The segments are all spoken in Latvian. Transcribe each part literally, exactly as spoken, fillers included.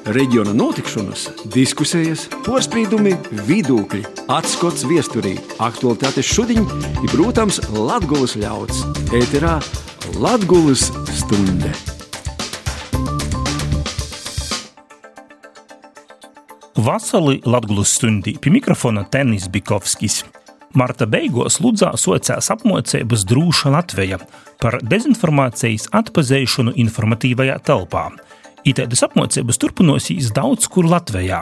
Reģiona notikšanas, diskusijas, porspīdumi, vidūkļi, atskots viesturī, aktualitātes šudiņ i, protams, Latgulas ļauds. Ēterā Latgulas stunde. Vasali Latgulas stundī pie mikrofona Tenis Bikovskis. Marta beigos Ludzā socās apmocības Drūša Latveja par dezinformācijas atpazeišanu informatīvajā telpā. Itaidas apmocības turpinosīs daudz kur Latvejā,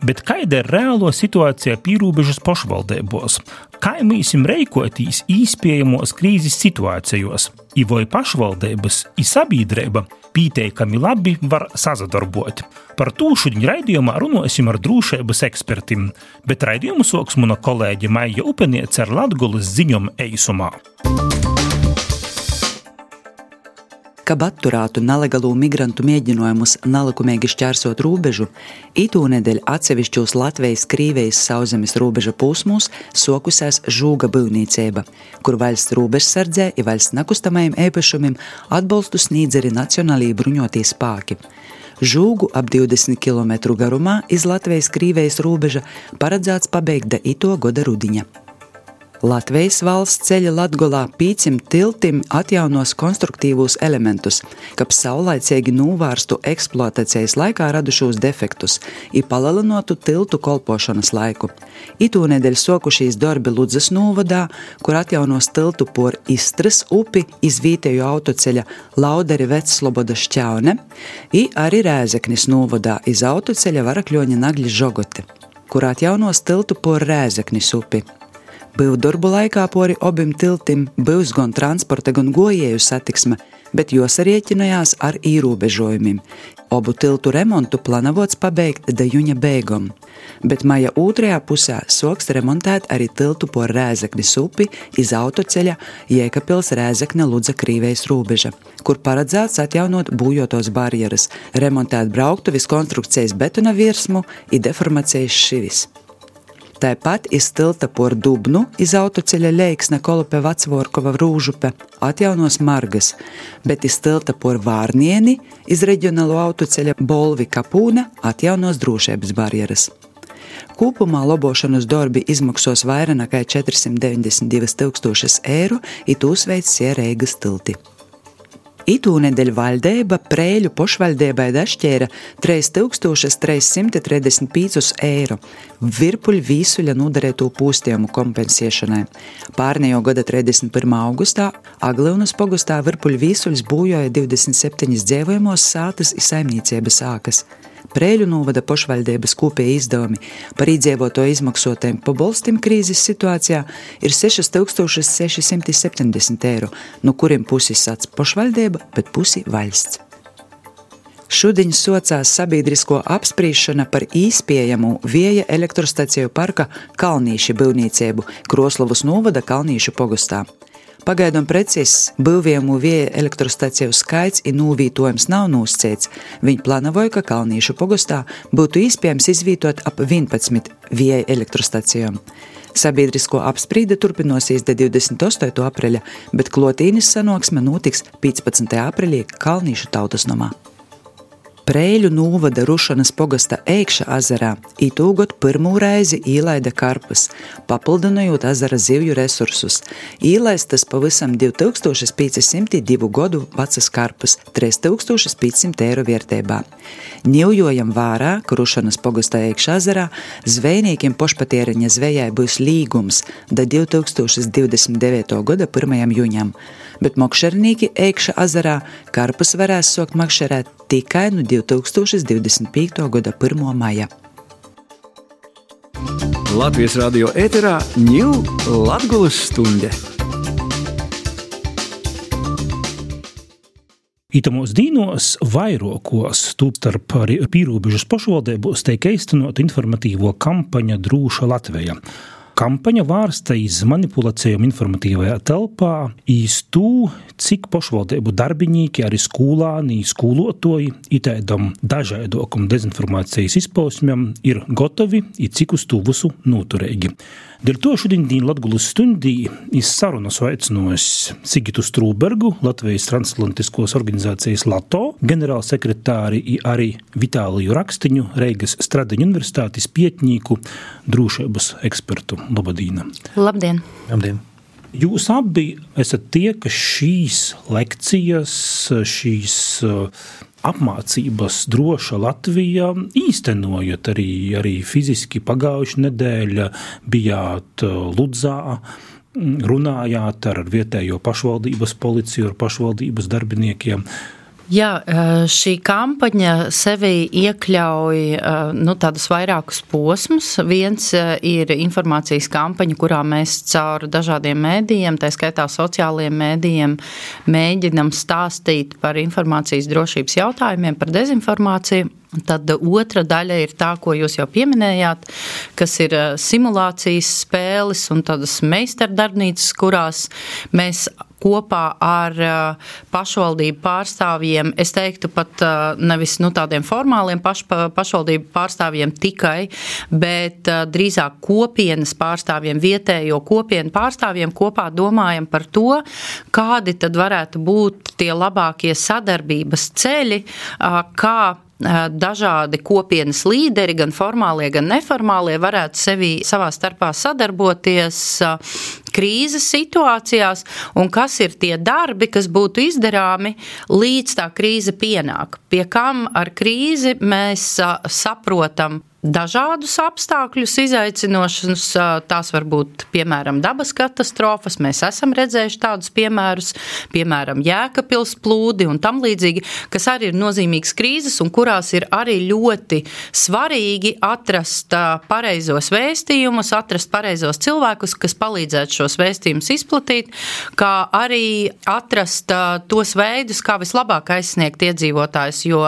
bet kaida ir reālo situācija pīrūbežas pošvaldēbos? Kai mīsim reikotīs īspiejamos krīzes situācijos? I voi pašvaldības, i sabīdreiba pīteikami labi var sazadarbot. Par tū šudiņ raidījumā runosim ar drūšeibas ekspertim, bet raidījumu soks muna kolēģe Maija Upeniece ar Latgulas ziņom eisumā. Kab atturētu nelegalu migrantu mēģinājumus nelikumīgi šķērsot rūbežu, itūnedeļ atsevišķos Latvijas-Krīvijas sauszemes rūbeža posmos sokusās žūga byvnīceiba, kur valsts rūbežsardzē i valsts nekustamajiem īpašumiem atbalstu sniedz arī nacionālī bruņotie spāki. Žūgu ap divdesmit kilometru garumā iz Latvijas-Krīvijas rūbeža paredzēts pabeigt da ito goda rudiņa. Latvijas valsts ceļa Latgolā pīcim tiltim atjaunos konstruktīvos elementus, kab saulaicīgi nūvārstu eksploatācijas laikā radušos defektus i palielinotu tiltu kolpošanas laiku. Itūnedeļ sokušīs darbi Ludzas novadā, kur atjaunos tiltu por Istras upi iz vītēju autoceļa Lauderi Vecloboda šķaune i arī Rēzeknis novadā iz autoceļa Varakļoņa Nagļi Žogote, kur atjaunos tiltu por Rēzeknis upi. Byvdorbu laikā pori obim tiltim byvs gan transporta, gan gojēju satiksme, bet jos rieķinājās ar īrūbežojumiem. Obu tiltu remontu planavots pabeigt da juņa beigom, bet maja otrajā pusē soks remontēt arī tiltu por Rēzeknis upi iz autoceļa Jēkabpils Rēzekne Ludza Krīvijas rūbeža, kur paredzēts atjaunot būjotos barjeras, remontēt brauktuvis konstrukcijas betona virsmu i deformācijas šivis. Tāpat iz tilta por Dubnu iz autoceļa Leiksne Kolupe Vacvorkova Rūžupe atjaunos margas, bet iz tilta por Vārnieni iz reģionālo autoceļa Bolvi Kapūne atjaunos drošības barjeras. Kūpumā lobošanas darbi izmaksos vairāk nekā četri deviņdesmit divi tūkstoši eiro, i tūs veids Reigas tilti. Itūnedeļ valdeiba Preiļu pošvaldeibai dašķēra trīs tūkstoši trīs simti tridesmit pieci eiro virpuļu vīsuļa nodarēto pūstējumu kompensēšanai. Pārnejo gada trīsdesmit pirmā augustā Aglyunas pogostā virpuļu vīsuļs būjoja divdesmit septiņas dzīvojamos sātas i saimniecības ākas. Preiļu novada pošvaldības kopēji izdevumi par iedzīvoto izmaksotajiem pabalstim krīzes situācijā ir seši tūkstoši seši simti septiņdesmit eiro, no kuriem pusi sats pošvaldība, bet pusi valsts. Šudiņ socās sabiedrisko apsprīšana par īspējamu vēja elektrostaciju parka Kalnīši byvnīceibu Kroslavas novada Kalnīšu pogostā. Pagaidām precīzs byvījumu vēja elektrostaciju skaits i nūvītojums nav nūsceits. Viņi plānoja, ka Kalnīšu pogostā būtu iespējams izvītot ap vienpadsmit vēja elektrostacijām. Sabiedrisko apsprīde turpinosies de divdesmit astotajā apreļa, bet klotīnis sanāksme notiks piecpadsmitajā apreļī Kalnīšu tautas nomā. Preiļu novada Rušanas pogasta Eikša azarā itūgot pirmū reizi īlaida karpus, papildinojot azara zivju resursus. Īlaistas pavisam divi tūkstoši pieci simti divu godu vecas karpus, trīs tūkstoši pieci simti eiro vērtībā. Ņujojam vārā, ka Rušanas pogasta Eikša azarā zvejniekiem pošpatēriņa zvejai būs līgums da divi tūkstoši divdesmit devītā gada pirmajam jūņam, bet mokšernīki Eikša azarā karpus varēs sokt makšerēt tikai no divi tūkstoši divdesmit piekta gada pirmā maija. Latvijas radio ēterā ņū Latgulas stunde. Itamos dīnos vairokos tūpstarp pīrūbežas pošvaldēbos teik eistanot informatīvo kampaņa Drūša Latveja. Kampaņa vārsta iz manipulācijām informatīvajā telpā, iz tū, cik pašvaldību darbinīki, arī skolāni, skolotoji, itēdam dažādokam dezinformācijas izpausmēm ir gotovi, i cik uz tū visu noturēgi. Dēļ to šodien Latgulas stundī iz sarunas aicinājus Sigitu Strūbergu, Latvijas transatlantiskos organizācijas LATO, ģenerālsekretāri i arī Vitāliju Rakstiņu, Reigas Stradiņu universitātes pietņīku, drūšības ekspertu. Labadīna. Labdien. Labdien. Jūs abi esat tie, ka šīs lekcijas, šīs apmācības droša Latvija īstenojot arī, arī fiziski pagājuši nedēļa, bijāt Ludzā, runājāt ar vietējo pašvaldības policiju, ar pašvaldības darbiniekiem. Jā, šī kampaņa sevi iekļauj nu, tādus vairākus posmus. Viens ir informācijas kampaņa, kurā mēs caur dažādiem mēdījiem, tā skaitā sociālajiem mēdījiem, mēģinam stāstīt par informācijas drošības jautājumiem, par dezinformāciju. Tad otra daļa ir tā, ko jūs jau pieminējāt, kas ir simulācijas spēles un tādas meistardarbnīcas, kurās mēs kopā ar pašvaldību pārstāvjiem, es teiktu pat nevis nu, tādiem formāliem paš, pašvaldību pārstāvjiem tikai, bet drīzāk kopienas pārstāvjiem, vietējo kopienu pārstāvjiem kopā domājam par to, kādi tad varētu būt tie labākie sadarbības ceļi, kā dažādi kopienas līderi, gan formālie, gan neformālie, varētu sevi savā starpā sadarboties krīzes situācijās, un kas ir tie darbi, kas būtu izdarāmi līdz tā krīze pienāk. Pie kam ar krīzi mēs saprotam dažādus apstākļus izaicinošanas, tās var būt, piemēram, dabas katastrofas, mēs esam redzējuši tādus piemērus, piemēram, Jēkabpils plūdi un tam līdzīgi, kas arī ir nozīmīgas krīzes un kurās ir arī ļoti svarīgi atrast pareizos vēstījumus, atrast pareizos cilvēkus, kas palīdzētu šos vēstījumus izplatīt, kā arī atrast tos veidus, kā vislabāk aizsniegt iedzīvotājus, jo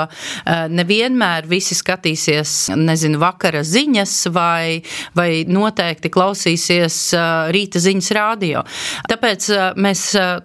nevienmēr visi skatīsies, nezinu, vakara ziņas vai, vai noteikti klausīsies rīta ziņas rādio. Tāpēc mēs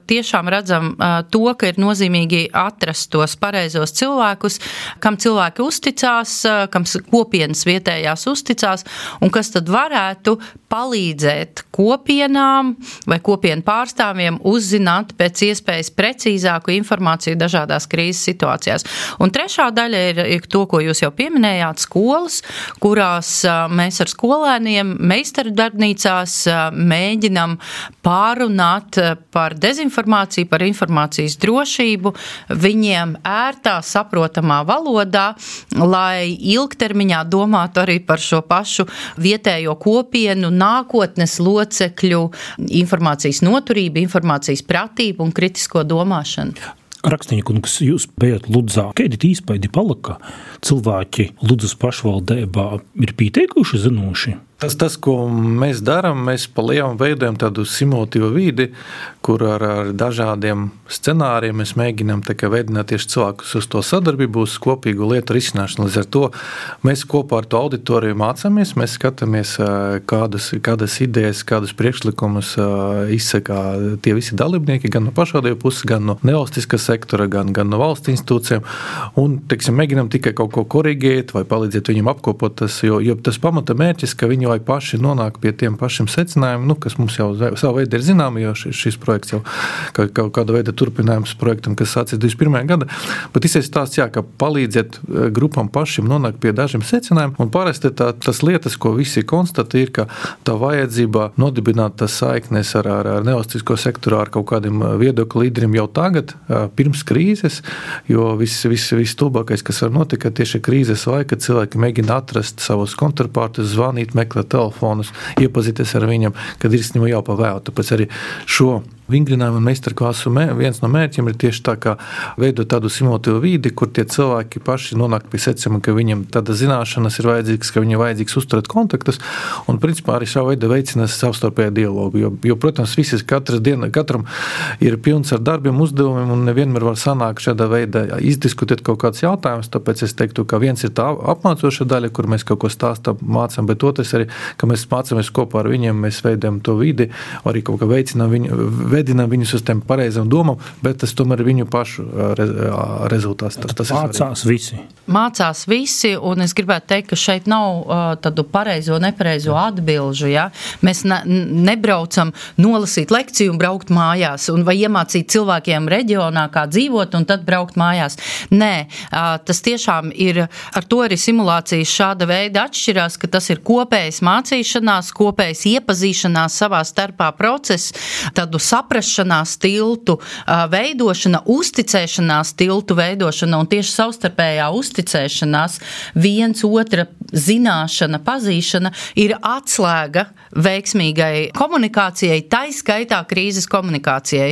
tiešām redzam to, ka ir nozīmīgi atrast tos pareizos cilvēkus, kam cilvēki uzticās, kam kopienas vietējās uzticās un kas tad varētu palīdzēt kopienām vai kopienu pārstāvjiem uzzināt pēc iespējas precīzāku informāciju dažādās krīzes situācijās. Un trešā daļa ir, ir to, ko jūs jau pieminējāt, skolas, kurās mēs ar skolēniem meistardarbnīcās mēģinam pārunāt par dezinformāciju, par informācijas drošību, viņiem ērtā, saprotamā valodā, lai ilgtermiņā domātu arī par šo pašu vietējo kopienu, nākotnes locekļu informācijas noturību, informācijas pratību un kritisko domāšanu. Rakstiņa kungs, jūs bijat Ludzā. Kādi īspaidi palika? Cilvēki Ludzas pašvaldībā ir pieteikuši zinoši? Tas, tas, ko mēs darām, mēs pa lielam veidojam tādu simulatīvu vidi, kur ar, ar dažādiem scenāriem mēs mēģinām veidināt tieši cilvēkus uz to sadarbību, uz kopīgu lietu risināšanu. Līdz ar to mēs kopā ar to auditoriju mācāmies, mēs skatāmies, kādas, kādas idejas, kādus priekšlikumus izsaka tie visi dalībnieki, gan no pašvaldību puses, gan no nevalstiskā sektora, gan, gan no valsts institūcijām, un, teiksim, mēģinām tikai kaut ko korigēt vai palīdzēt viņiem apkopot tas, jo, jo tas pamata mērķis, ka viņi lai paši nonāk pie tiem pašiem secinājumiem, nu, kas mums jau savu veidu ir zināmi, jo šis, šis projekts jau kā, kā, kāda veida turpinājums projektam, kas sācies divdesmit pirmajā gada, bet izsēs tās, jā, ka palīdzēt grupām pašiem nonākt pie dažiem secinājumiem, un parasti tā, tas lietas, ko visi konstatē, ir, ka tā vajadzība nodibināt tas saiknes ar, ar, ar nevalstisko sektoru, ar kaut kādiem viedokļu līderiem jau tagad, pirms krīzes, jo viss vis, vis tūbākais, kas var notikt, tieši krīzes laika cilvēki mēģina atrast savus kontrapārtus, zvanīt, meklēt telefonus, iepazīties ar viņiem, kad ir jau pa vēl. Tāpēc arī šo vingrinājumu un meistarklāsu viens no mērķiem ir tieši tā kā veidot tādu simulatīvu vidi, kur tie cilvēki paši nonāk pie secinājuma, ka viņiem tāda zināšanas ir vajadzīgas, ka viņiem vajadzīgs uzturēt kontaktus un principā arī šā veida veicinās savstarpēju dialogu, jo, jo protams, visi katras diena, katram ir pilns ar darbiem, uzdevumiem un nevienmēr var sanākt šādā veidā izdiskutēt kaut kāds jautājums, tāpēc es teiktu, ka viens ir tā apmācoša daļa, kur mēs kaut ko stāstam, mācām, bet otrs arī, ka mēs mācāmies kopā ar viņiem, mēs veidojam to vidi, arī kaut kā veicinām viņu, vedinām viņus uz tiem pareizam domam, bet tas tomēr ir viņu pašu rezultāts. Tas, tas Mācās visi. Mācās visi, un es gribētu teikt, ka šeit nav uh, tādu pareizo, nepareizo atbilžu. Ja? Mēs ne, nebraucam nolasīt lekciju un braukt mājās, un vai iemācīt cilvēkiem reģionā, kā dzīvot, un tad braukt mājās. Nē, uh, tas tiešām ir, ar to arī simulācijas šāda veida atšķirās, ka tas ir kopējas mācīšanās, kopējas iepazīšanās savā starpā process, tādu saprašanās tiltu uh, veidošana, uzticēšanās tiltu veidošana un tieši savstarpējā uzticēšanās, viens otra zināšana, pazīšana ir atslēga veiksmīgai komunikācijai, tai skaitā krīzes komunikācijai.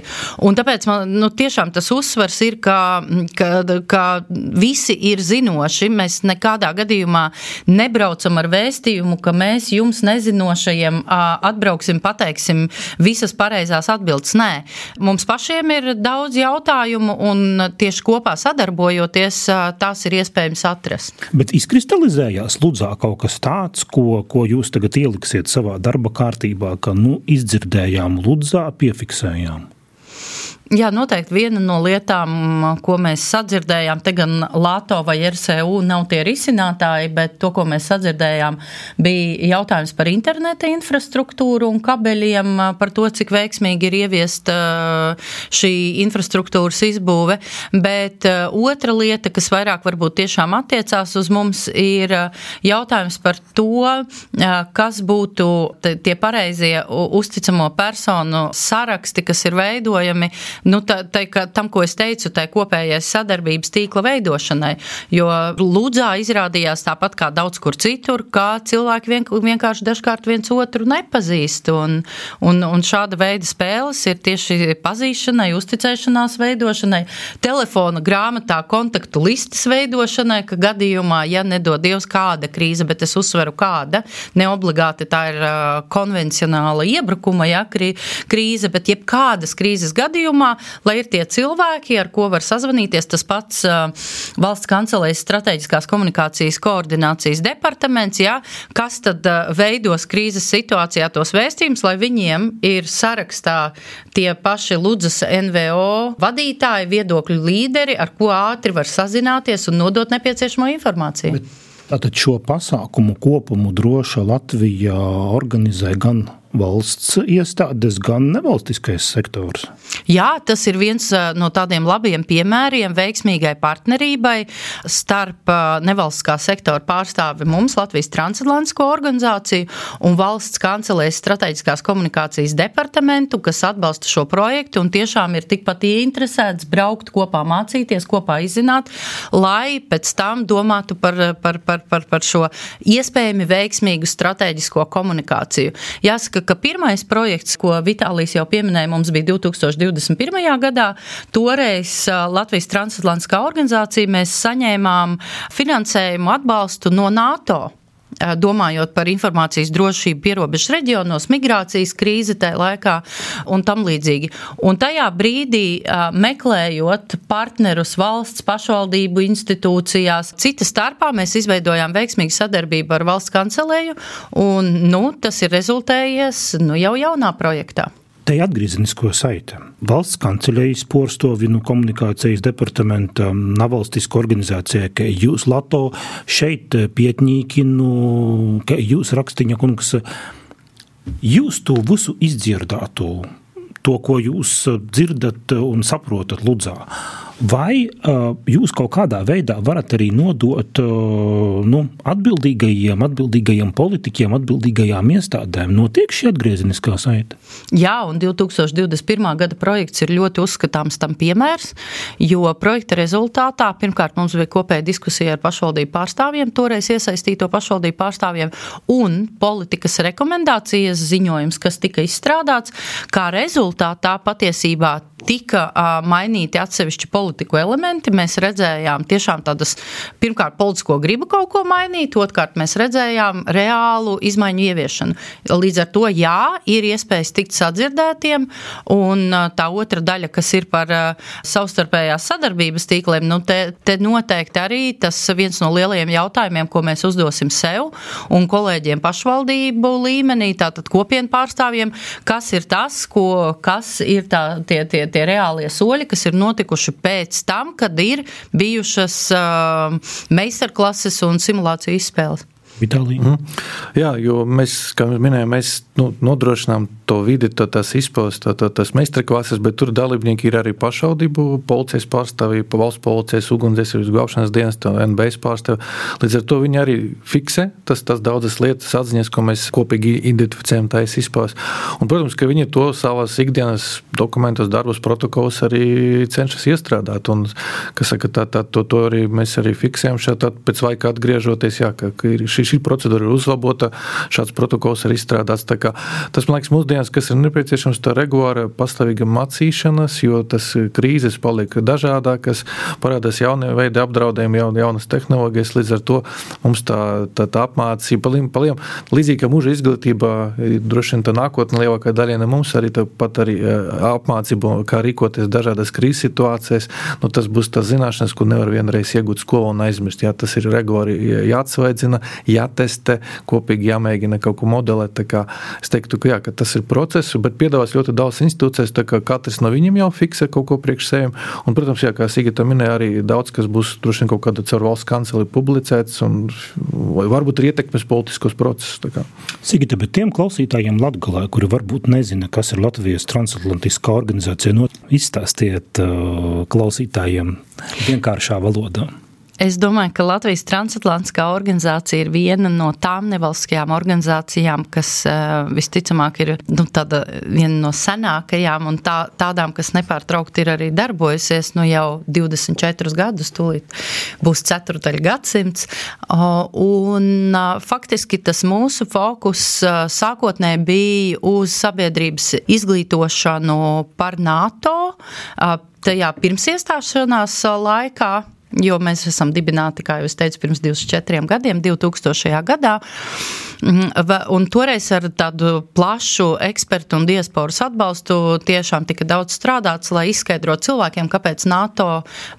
Un tāpēc man nu, tiešām tas uzsvars ir, ka, ka, ka visi ir zinoši. Mēs nekādā gadījumā nebraucam ar vēstījumu, ka mēs jums nezinošajiem atbrauksim, pateiksim visas pareizās atbildes. Nē, mums pašiem ir daudz jautājumu un tieši kopā sadarbojoties, tās ir iespējams atrast. Bet izkristalizējās Ludzā kaut kas tāds, ko, ko jūs tagad ieliksiet savā darba kārtībā, ka nu izdzirdējām Ludzā, piefiksējām? Jā, noteikti viena no lietām, ko mēs sadzirdējām, te gan Lato vai R S U nav tie risinātāji, bet to, ko mēs sadzirdējām, bija jautājums par interneta infrastruktūru un kabeļiem, par to, cik veiksmīgi ir ieviest šī infrastruktūras izbūve. Bet otra lieta, kas vairāk varbūt tiešām attiecās uz mums, ir jautājums par to, kas būtu tie pareizie uzticamo personu saraksti, kas ir veidojami, Nu, tā, tā, tam, ko es teicu, tai kopējais sadarbības tīkla veidošanai, jo Ludzā izrādījās tāpat kā daudz kur citur, kā cilvēki vien, vienkārši dažkārt viens otru nepazīst, un, un, un šāda veida spēles ir tieši pazīšanai, uzticēšanās veidošanai, telefona grāmatā kontaktu listas veidošanai, ka gadījumā, ja nedod Dievs kāda krīze, bet es uzsveru kāda, neobligāti tā ir konvencionāla iebrukuma, ja, krīze, bet jebkādas krīzes gadījumā, lai ir tie cilvēki, ar ko var sazvanīties, tas pats uh, valsts kancelējas strateģiskās komunikācijas koordinācijas departaments, jā, kas tad uh, veidos krīzes situācijā tos vēstījumus, lai viņiem ir sarakstā tie paši Ludzas N V O vadītāji, viedokļu līderi, ar ko ātri var sazināties un nodot nepieciešamo informāciju. Bet tātad šo pasākumu kopumu Droša Latvija organizē gan valsts iestādes, gan nevalstiskais sektors. Jā, tas ir viens no tādiem labiem piemēriem veiksmīgai partnerībai starp nevalstiskā sektora pārstāvi mums, Latvijas transatlantisko organizāciju un valsts kancelējas strateģiskās komunikācijas departamentu, kas atbalsta šo projektu un tiešām ir tikpat ieinteresēts braukt kopā mācīties, kopā izzināt, lai pēc tam domātu par, par, par, par, par šo iespējami veiksmīgu strateģisko komunikāciju. Jāsaka, ka pirmais projekts, ko Vitālijs jau pieminēja, mums bija divtūkstoš divdesmit pirmajā gadā. Toreiz Latvijas transatlantiskā organizācija mēs saņēmām finansējumu atbalstu no NATO. Domājot par informācijas drošību pierobežu reģionos, migrācijas krīze tajā laikā un tam līdzīgi. Un tajā brīdī meklējot partnerus valsts pašvaldību institūcijās, cita starpā mēs izveidojām veiksmīgu sadarbību ar valsts kancelēju un, nu, tas ir rezultējies, nu, jau jaunā projektā. Te atgriezenisko saite. Valsts kanceļejas porstovinu komunikācijas departamenta nevalstiska organizācija, ka jūs Lato šeit pietņīkinu, ka jūs rakstiņa kungs, jūs to visu izdzirdātu, to, ko jūs dzirdat un saprotat Ludzā. Vai uh, jūs kaut kādā veidā varat arī nodot uh, nu, atbildīgajiem, atbildīgajiem politiķiem, atbildīgajām iestādēm? Notiek šī atgriezeniskā saite? Jā, un divi tūkstoši divdesmit pirmā gada projekts ir ļoti uzskatāms tam piemērs, jo projekta rezultātā pirmkārt mums bija kopēja diskusija ar pašvaldību pārstāvjiem, toreiz iesaistīto pašvaldību pārstāvjiem, un politikas rekomendācijas ziņojums, kas tika izstrādāts, kā rezultātā patiesībā tika uh, mainīti atsevišķi politiku elementi. Mēs redzējām tiešām tādas, pirmkārt, politisko gribu kaut ko mainīt, otrkārt mēs redzējām reālu izmaiņu ieviešanu. Līdz ar to, jā, ir iespējas tikt sadzirdētiem, un uh, tā otra daļa, kas ir par uh, savstarpējās sadarbības tīkliem, nu te, te noteikti arī tas viens no lielajiem jautājumiem, ko mēs uzdosim sev un kolēģiem pašvaldību līmenī, tātad kopienu pārstāvjiem, kas ir tas, ko, kas ir tā, tie, tie tie reālie soļi, kas ir notikuši pēc tam, kad ir bijušas uh, meistarklases un simulāciju izspēles. Vitālija. Mm. Jā, jo mēs, kā mēs minējām, mēs nu, nodrošinām to vidi, to, tās izpildes, to, to, tās meistarklases, bet tur dalībnieki ir arī pašvaldību, policijas pārstāvji, valsts policijas, ugunsdzēsības glābšanas dienas, N B S pārstāvji. Līdz ar to viņi arī fiksē tas, tas daudzas lietas atziņas, ko mēs kopīgi identificējam tais izpildes. Un, protams, ka viņi to savās ikdienas dokumentos, darbos, protokols arī cenšas iestrādāt. Un, kas saka, tā, tā, to, to arī mēs arī fiksējam šeit, pēc laika atgriežoties, jā, ka, ka ir šī šī procedūra ir uzlabota, šāds protokols ir izstrādāts. Tā kā, tas, man liekas, mūsdienas, kas ir nepieciešams, tā regulāra pastāvīga macīšanas, jo tas krīzes paliek dažādākas, parādās jaunie veidi apdraudējumi, jaun, jaunas tehnoloģijas, līdz ar to mums tā, tā, tā apmācība, paliem, paliem, līdzīgi kā mūža izglītībā, droši vien tā nākotne lielākā daļiena mums arī tāpat arī apmācība, kā rīkoties dažādas krīzes situācijas, nu tas būs tās zināšanas, ko nevar vienreiz iegūt skolā un aizmirst. Jā, tas ir regulāri jāatsveidzina, jātestē, kopīgi jāmēģina kaut ko modelēt. Tā kā es teiktu, ka, jā, ka tas ir process, bet piedāvās ļoti daudz institūcijas, tā kā katrs no viņiem jau fiksē kaut ko priekš sevim. Un, protams, jā, kā Sigita minēja, arī daudz, kas būs droši vien kaut kāda caur valsts kanceli publicēts un vai varbūt ir ietekmes politiskos procesus. Tā kā. Sigita, bet tiem klausītājiem Latgalē, kuri varbūt nezina, kas ir Latvijas transatlantiskā organizācija, no izstāstiet uh, klausītājiem vienkāršā valodā. Es domāju, ka Latvijas transatlantiskā organizācija ir viena no tām nevalstiskajām organizācijām, kas uh, visticamāk ir nu, tāda viena no senākajām un tā, tādām, kas nepārtraukti ir arī darbojusies nu, jau divdesmit četrus gadus, tūlīt būs ceturtaļ gadsimts. Uh, un uh, faktiski tas mūsu fokus uh, sākotnēji bija uz sabiedrības izglītošanu par NATO, uh, tajā pirms iestāšanās laikā, jo mēs esam dibināti, kā jau es teicu, pirms divdesmit četriem gadiem, divtūkstošajā gadā, un toreiz ar tādu plašu ekspertu un diasporas atbalstu tiešām tika daudz strādāts, lai izskaidrotu cilvēkiem, kāpēc NATO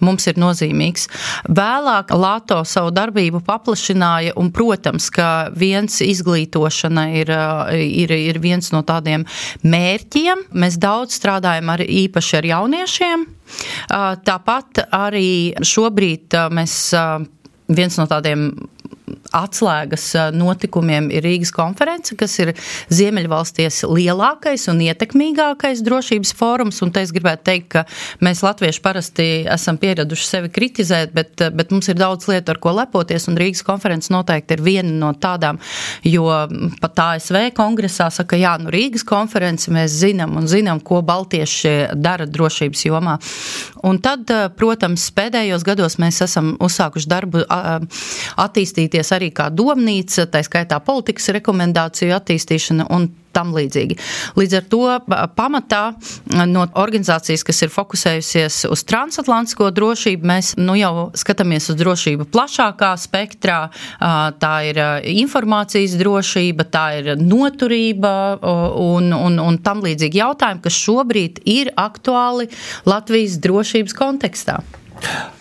mums ir nozīmīgs. Vēlāk NATO savu darbību paplašināja, un, protams, ka viens izglītošana ir, ir, ir viens no tādiem mērķiem. Mēs daudz strādājam ar, īpaši ar jauniešiem. Tāpat arī šobrīd mēs viens no tādiem atslēgas notikumiem ir Rīgas konference, kas ir Ziemeļvalstīs lielākais un ietekmīgākais drošības fórums, un te es gribētu teikt, ka mēs latvieši parasti esam pieraduši sevi kritizēt, bet, bet mums ir daudz lietu, ar ko lepoties, un Rīgas konference noteikti ir viena no tādām, jo pat A S V kongresā saka, jā, nu Rīgas konference mēs zinām un zinām, ko baltieši dara drošības jomā. Un tad, protams, pēdējos gados mēs esam uzsākuši darbu attīstīties arī kā domnīca, tā skaitā politikas rekomendāciju attīstīšana un tam līdzīgi. Līdz ar to pamatā no organizācijas, kas ir fokusējusies uz transatlantisko drošību, mēs nu jau skatāmies uz drošību plašākā spektrā. Tā ir informācijas drošība, tā ir noturība un, un, un tam līdzīgi jautājumi, kas šobrīd ir aktuāli Latvijas drošības kontekstā.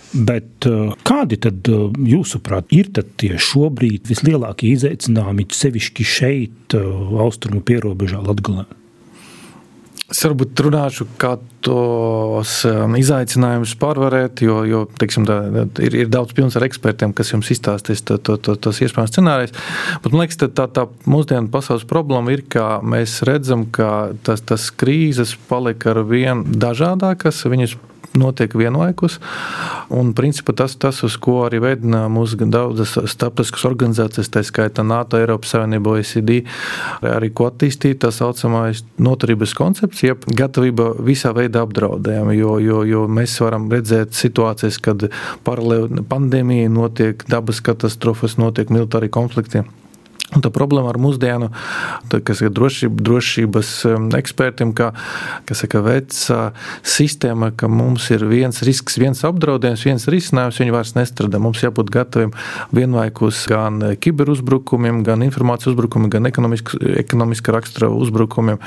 Bet kādi tad, jūsuprāt, ir tad tie šobrīd vislielākie izaicinājumi sevišķi šeit, austrumu pierobežā Latgalē? Es varbūt runāšu, kā tos izaicinājumus pārvarēt, jo, jo teiksim, tā, ir, ir daudz pilns ar ekspertiem, kas jums izstāstīs to, to, to, tos iespējams scenārijus. Bet, man liekas, tā, tā, tā mūsdienu pasaules problēma ir, ka mēs redzam, ka tas, tas krīzes palika ar vien dažādākas, viņas notiek vienlaikus. Un, principā, tas, tas uz ko arī veidina mūsu daudzas starptautiskas organizācijas, tā skaitā NATO, Eiropas Savienība, O E C D, arī ko attīstīt, tā saucamais noturības koncepts, jeb gatavība visā veidā apdraudējumi, jo, jo, jo mēs varam redzēt situācijas, kad paralēli pandēmija notiek, dabas katastrofas, notiek militāri konflikti. Un tā problēma ar mūsdienu, tā, kas ir drošība, drošības ekspertiem, ka, kas saka, veca sistēma, ka mums ir viens risks, viens apdraudējums, viens risinājums, viņi vairs nestrādā. Mums jābūt gataviem vienlaikus gan kiberuzbrukumiem, gan informācijas uzbrukumiem, gan ekonomiska, ekonomiska rakstura uzbrukumiem,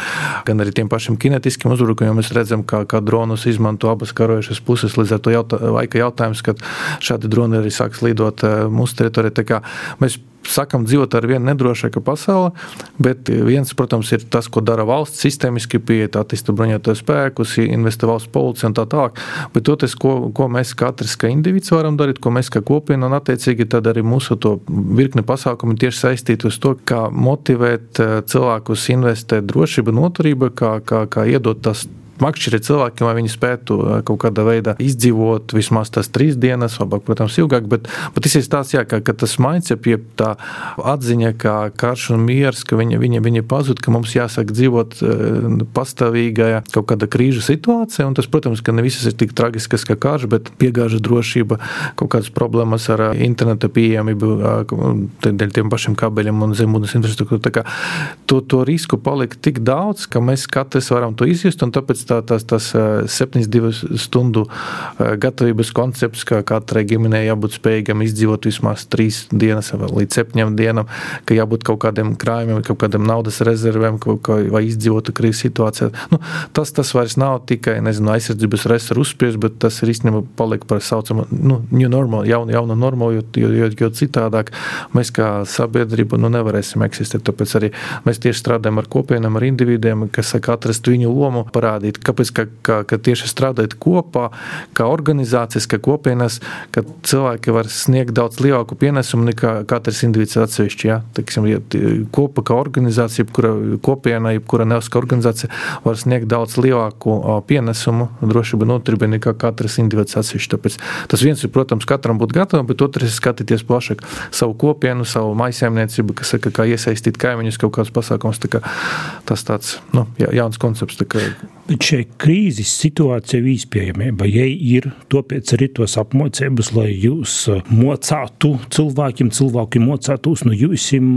gan arī tiem pašiem kinetiskiem uzbrukumiem. Mēs redzam, kā, kā dronus izmanto abas karojušas puses, līdz ar to jautā, laika jautājums, kad šādi droni arī sāks lidot mūsu teritorijā. Tā kā mēs sakam, dzīvot ar vienu nedrošāku pasauli, bet viens, protams, ir tas, ko dara valsts sistēmiski pieiet, attīsta bruņotos spēkus, investē valsts policija un tā tālāk, bet toties, ko, ko mēs katrs kā individs varam darīt, ko mēs kā kopiena, un attiecīgi tad arī mūsu to virkni pasākumi tieši saistīti uz to, kā motivēt cilvēkus investēt drošība, noturība, kā, kā, kā iedot tas makšķirēt cilvēkiem, lai viņi spētu kaut kādā veidā izdzīvot vismaz tās trīs dienas, labāk, protams, ilgāk, bet, bet tas ir tās, jā, ka, ka tas mindset, jeb tā atziņa, kā karš un miers, ka viņi, viņi, viņi pazud, ka mums jāsāk dzīvot pastāvīgajā kaut kāda krīžu situācija, un tas, protams, ka ne visas ir tik tragiskas kā karš, bet piegāža drošība, kaut kādas problēmas ar interneta pieejamību, dēļ tiem pašiem kabeļiem un zemūdens infrastruktūru. Tā kā to, to risku palika tik daudz, ka mēs katrs varam to izjust, un tāpēc Tā, tas, tas septiņdesmit divu stundu gatavības koncepts, ka katrai ģimenei jābūt spējīgam izdzīvot vismaz trīs dienas līdz septiņām dienām, ka jābūt kaut kādiem krājumiem, kaut kādiem naudas rezervēm, kā, vai izdzīvotu krīzes situācijā. Nu, tas, tas vairs nav tikai, nezinu, aizsardzības resursu uzspies, bet tas ir īstenībā paliek par saucamu, nu, new normal, jaunu, jaunu normalu, jo, jo, jo citādāk mēs kā sabiedrība, nu, nevarēsim eksistēt. Tāpēc arī mēs tieši strādājam ar kopienām, ar individiem, kas saka atrast viņu lomu, parādīt, kāpēc, ka, ka, ka tieši strādājot kopā, kā organizācijas, kā kopienas, ka cilvēki var sniegt daudz lielāku pienesumu nekā katrs individs atsevišķi. Ja? Teiksim, ja kopa kā organizācija, jebkura kopiena, jebkura nevalstiskā organizācija var sniegt daudz lielāku pienesumu drošība noturība nekā katrs individs atsevišķi. Tāpēc tas viens ir, protams, katram būt gatavam, bet otrs ir skatīties plašāk savu kopienu, savu mājsaimniecību, kas saka, kā iesaistīt kaimiņus kaut kāds pasākums. Tā kā tas tāds, nu, jauns koncepts. Tā kā Bet šai krīzes situācija izpējamība, ja ir tāpēc arī tos apmocības, lai jūs mocātu cilvēkiem, cilvēki mocātos no jūsim,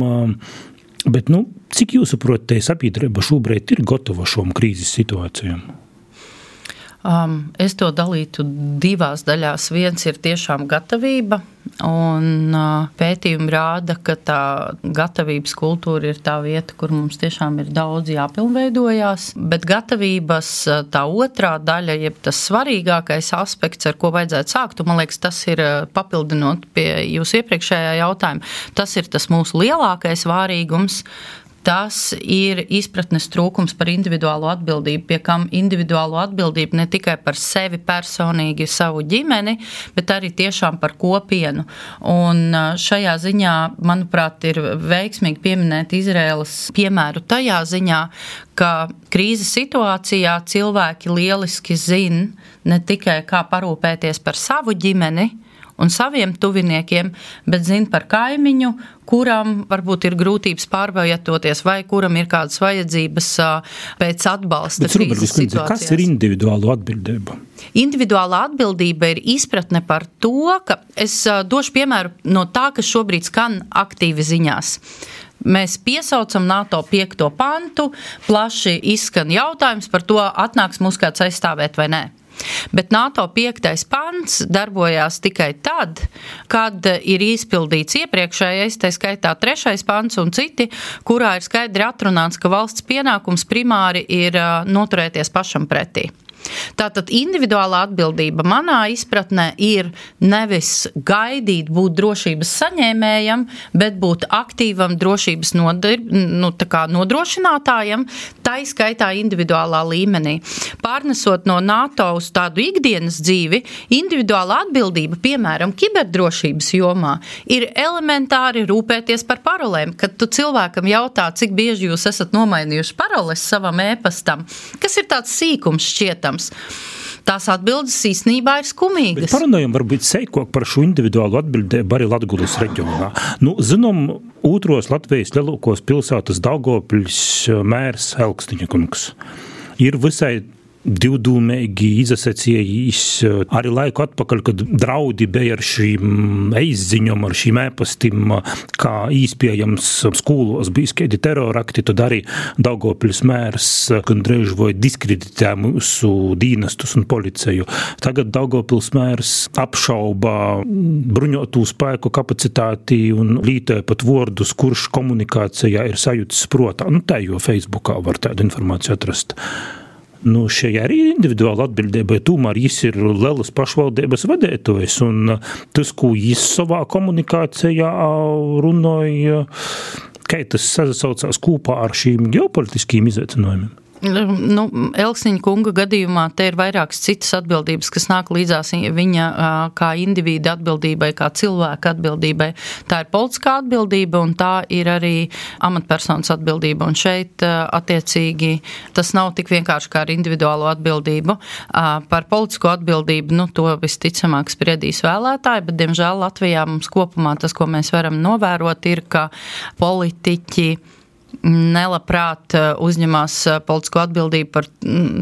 bet, nu, cik jūs saprot, te sabiedrība šobrīd ir gatava šom krīzes situācijām? Um, es to dalītu divās daļās. Viens ir tiešām gatavība, un uh, pētījumi rāda, ka tā gatavības kultūra ir tā vieta, kur mums tiešām ir daudz jāpilnveidojās, bet gatavības tā otrā daļa, jeb tas svarīgākais aspekts, ar ko vajadzētu sākt, un man liekas, tas ir papildinot pie jūsu iepriekšējā jautājuma, tas ir tas mūsu lielākais vārīgums. Tas ir izpratnes trūkums par individuālo atbildību, pie kam individuālo atbildību ne tikai par sevi personīgi, savu ģimeni, bet arī tiešām par kopienu. Un šajā ziņā, manuprāt, ir veiksmīgi pieminēt Izraēlas piemēru tajā ziņā, ka krīzes situācijā cilvēki lieliski zina ne tikai kā parūpēties par savu ģimeni, un saviem tuviniekiem, bet zina par kaimiņu, kuram varbūt ir grūtības pārvietoties vai kuram ir kādas vajadzības pēc atbalsta krīzes situācijās. Kas ir individuāla atbildība? Individuāla atbildība ir izpratne par to, ka es došu piemēru no tā, kas šobrīd skan aktīvi ziņās. Mēs piesaucam NATO piekto pantu, plaši izskan jautājums par to, atnāks mūs kāds aizstāvēt vai nē. Bet NATO piektais pants darbojās tikai tad, kad ir izpildīts iepriekšējais, tā skaitā trešais pants un citi, kurā ir skaidri atrunāts, ka valsts pienākums primāri ir noturēties pašam pretī. Tātad individuālā atbildība manā izpratnē ir nevis gaidīt būt drošības saņēmējam, bet būt aktīvam drošības nodir, nu, tā kā nodrošinātājam, tai skaitā individuālā līmenī. Pārnesot no NATO uz tādu ikdienas dzīvi, individuāla atbildība, piemēram, kiberdrošības jomā, ir elementāri rūpēties par parolēm. Kad tu cilvēkam jautā, cik bieži jūs esat nomainījuši paroles savam ēpastam, kas ir tāds sīkums šķietams, tās atbildes īstenībā ir skumīgas. Bet parunājam varbūt seikok par šo individuālu atbildību arī Latgulas reģionā. Nu, zinām, otros Latvijas lielākos pilsētas Daugavpils mērs Elksniņa kungs ir visai divdūmīgi izasacījis arī laiku atpakaļ, kad draudi bija ar šīm eizziņom, ar šīm ēpastim, kā īspējams skolos bija skaidi terorakti, tad arī Daugavpils mērs gandrīz vai diskreditē mūsu dīnestus un policiju. Tagad Daugavpils mērs apšauba bruņotu spēku kapacitāti un lītoja pat vordus, kurš komunikācijā ir sajūtas protā. Nu, tā jo Facebookā var tādu informāciju atrast. Nu, šajā arī individuāla atbildība, tomēr jis ir lielas pašvaldības vadētojs, un tas, ko jis savā komunikācijā runāja, kā tas sasaucās kopā ar šīm ģeopolitiským izaicinājumiem? Nu, Elksniņa kunga gadījumā te ir vairākas citas atbildības, kas nāk līdzās viņa kā individa atbildībai, kā cilvēka atbildībai. Tā ir politiskā atbildība un tā ir arī amatpersonas atbildība. Un šeit attiecīgi tas nav tik vienkārši kā ar individuālo atbildību. Par politisko atbildību, nu, to visticamāk spriedīs vēlētāji, bet, diemžēl, Latvijā mums kopumā tas, ko mēs varam novērot, ir, ka politiķi nelabprāt uzņemās politisko atbildību par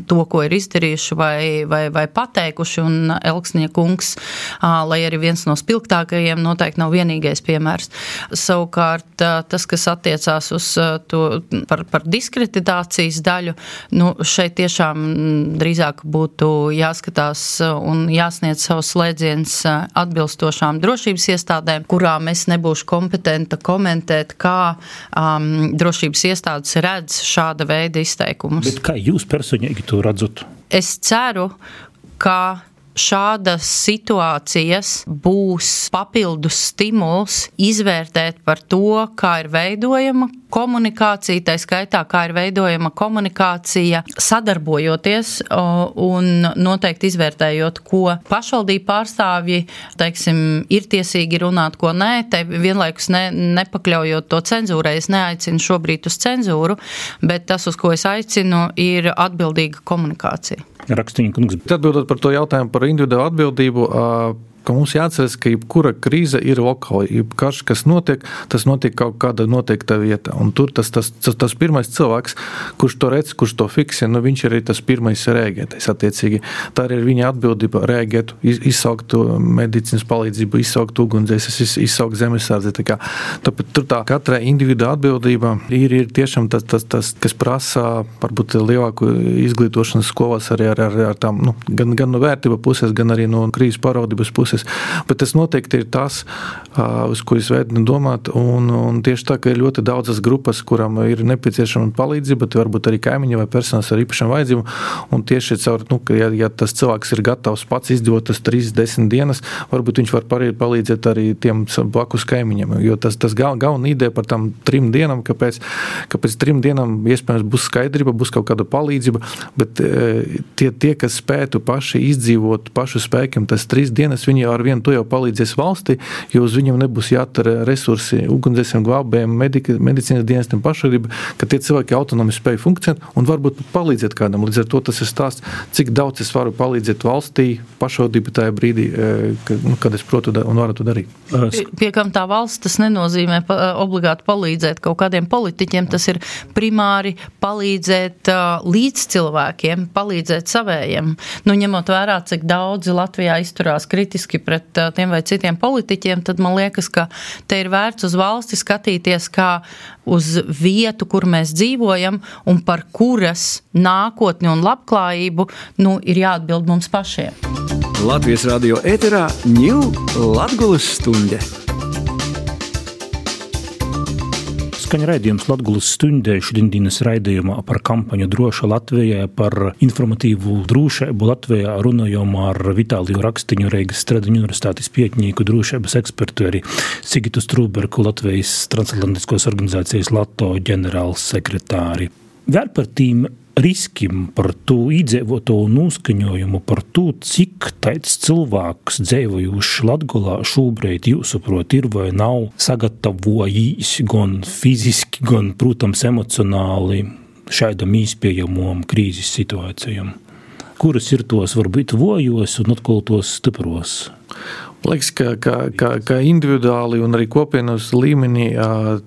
to, ko ir izdarījuši vai, vai, vai pateikuši, un Elksniņa kungs, lai arī viens no spilgtākajiem, noteikti nav vienīgais piemērs. Savukārt, tas, kas attiecās uz to par, par diskreditācijas daļu, nu, šeit tiešām drīzāk būtu jāskatās un jāsniedz savus slēdziens atbilstošām drošības iestādēm, kurām es nebūšu kompetenta komentēt, kā um, drošības iestādes redz šāda veida izteikumus. Bet kā jūs personīgi to redzat? Es ceru, ka šādas situācijas būs papildus stimuls izvērtēt par to, kā ir veidojama komunikācija, tā skaitā, kā ir veidojama komunikācija sadarbojoties un noteikti izvērtējot, ko pašvaldību pārstāvji, teiksim, ir tiesīgi runāt, ko nē, te vienlaikus ne, nepakļaujot to cenzūrai. Es neaicinu šobrīd uz cenzūru, bet tas, uz ko es aicinu, ir atbildīga komunikācija. Rakstiņa kungs. Atbildot par to jautājumu par individuālu atbildību, ka mums jāatceras, ka jebkura krīze ir lokāla. Jebkarš, kas notiek, tas notiek kaut kāda noteikta vieta. Un tur tas, tas, tas, tas pirmais cilvēks, kurš to redz, kurš to fiksē, nu viņš arī tas pirmais rēģētais attiecīgi. Tā ir viņa atbildība rēģēt, izsaukt medicīnas palīdzību, izsaukt ugunsdzēsības, izsaukt zemesardzi. Tā kā, tāpēc tur tā katra individuāla atbildība ir, ir tiešām tas, tas, tas, kas prasa varbūt lielāku izglītošanas skolās arī ar, ar, ar tām, nu, gan, gan no vērtība puses, gan arī no krīzes pārvaldības puses. Bet tas noteikti ir tas, uz ko es veidinu domāt, un, un tieši tā, ka ir ļoti daudzas grupas, kuram ir nepieciešama palīdzība, bet varbūt arī kaimiņi vai personas ar īpašām vajadzībām, un tieši caur, nu, ka ja, ja tas cilvēks ir gatavs pats izdzīvot tas trīs desmit dienas, varbūt viņš var palīdzēt arī tiem blakus kaimiņiem, jo tas, tas gal, galvenā ideja par tām trim dienām, kāpēc, kāpēc trim dienām iespējams būs skaidrība, būs kaut kāda palīdzība, bet tie, tie kas spētu paši izdzīvot pašu spēkiem, tas trīs dienas viņi ar vienu to jau palīdzēs valstī, jo uz viņiem nebūs jātara resursi ugunsdzēsiem, glābējiem, medicīnas dienestiem, pašvaldība, ka tie cilvēki autonomi spēj funkcionēt un varbūt palīdzēt kādam. Līdz ar to tas ir stāsts, cik daudz es varu palīdzēt valstī, pašvaldība tajā brīdī, kad es protu un varu to darīt. Pie kam tā valsts, tas nenozīmē obligāti palīdzēt kaut kādiem politiķiem, tas ir primāri palīdzēt līdz cilvēkiem, palīdzēt savējiem. Nu, ņemot vērā, cik daudzi Latvijā izturās kritiski pret tiem vai citiem politiķiem, tad man liekas, ka te ir vērts uz valsti skatīties kā uz vietu, kur mēs dzīvojam un par kuras nākotni un labklājību, nu, ir jāatbild mums pašiem. Latvijas radio ēterā ņū Latgulas stunde. Skaņa raidījums Latgulas stundē šodienas raidījumā par kampaņu Droša Latvijā, par informatīvu drošību Latvijā runājām ar Vitāliju Rakstiņu, Reigas Stradiņu universitātes pētnieku, drošības ekspertu, arī Sigitu Strūberku, Latvijas transatlantiskos organizācijas LATO ģenerāls sekretāri. Vēl par tīm riskim, par to iedzīvoto noskaņojumu, par to, cik tāds cilvēks dzīvojuši Latgolā šobrīd jūsuprot ir vai nav sagatavojis gan fiziski, gan, protams, emocionāli šādam īspējamam krīzes situācijam. kuras ir tos varbūt vojos un atkal tos stipros? Liekas, ka, ka, ka, ka individuāli un arī kopienas līmenī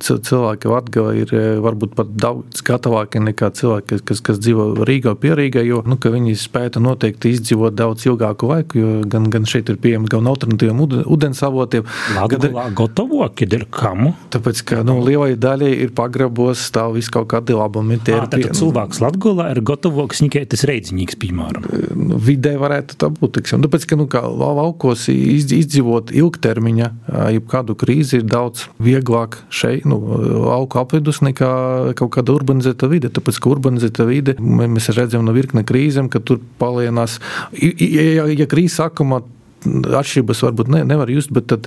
cilvēki Latgala ir varbūt pat daudz gatavāki nekā cilvēki, kas, kas dzīvo Rīgā, pierīgā, jo nu, viņi spēja noteikti izdzīvot daudz ilgāku laiku, jo gan, gan šeit ir pieejami gan alternatīviem ūdens avotiem. Latgalā gatavoki, ir kamu? Tāpēc, ka nu, lielai daļai ir pagrabos stāv visu kaut kādi labumi. Ā, tad cilvēks Latgalā ir gatavoks nikai tas reidzinīgs, piemēram. Vidē varētu tā būt, tiksim. Tāpēc, ka nu, kā laukos izdzīvot izdzīvot ilgtermiņa, jebkādu krīzi ir daudz vieglāk šeit, nu, lauku apvidus nekā kaut kāda urbanizēta vide. Tāpēc, ka urbanizēta vide, mēs redzam no virkne krīzēm, ka tur palienās, ja, ja krīze sākumā atšķirības varbūt ne, nevar just, bet tad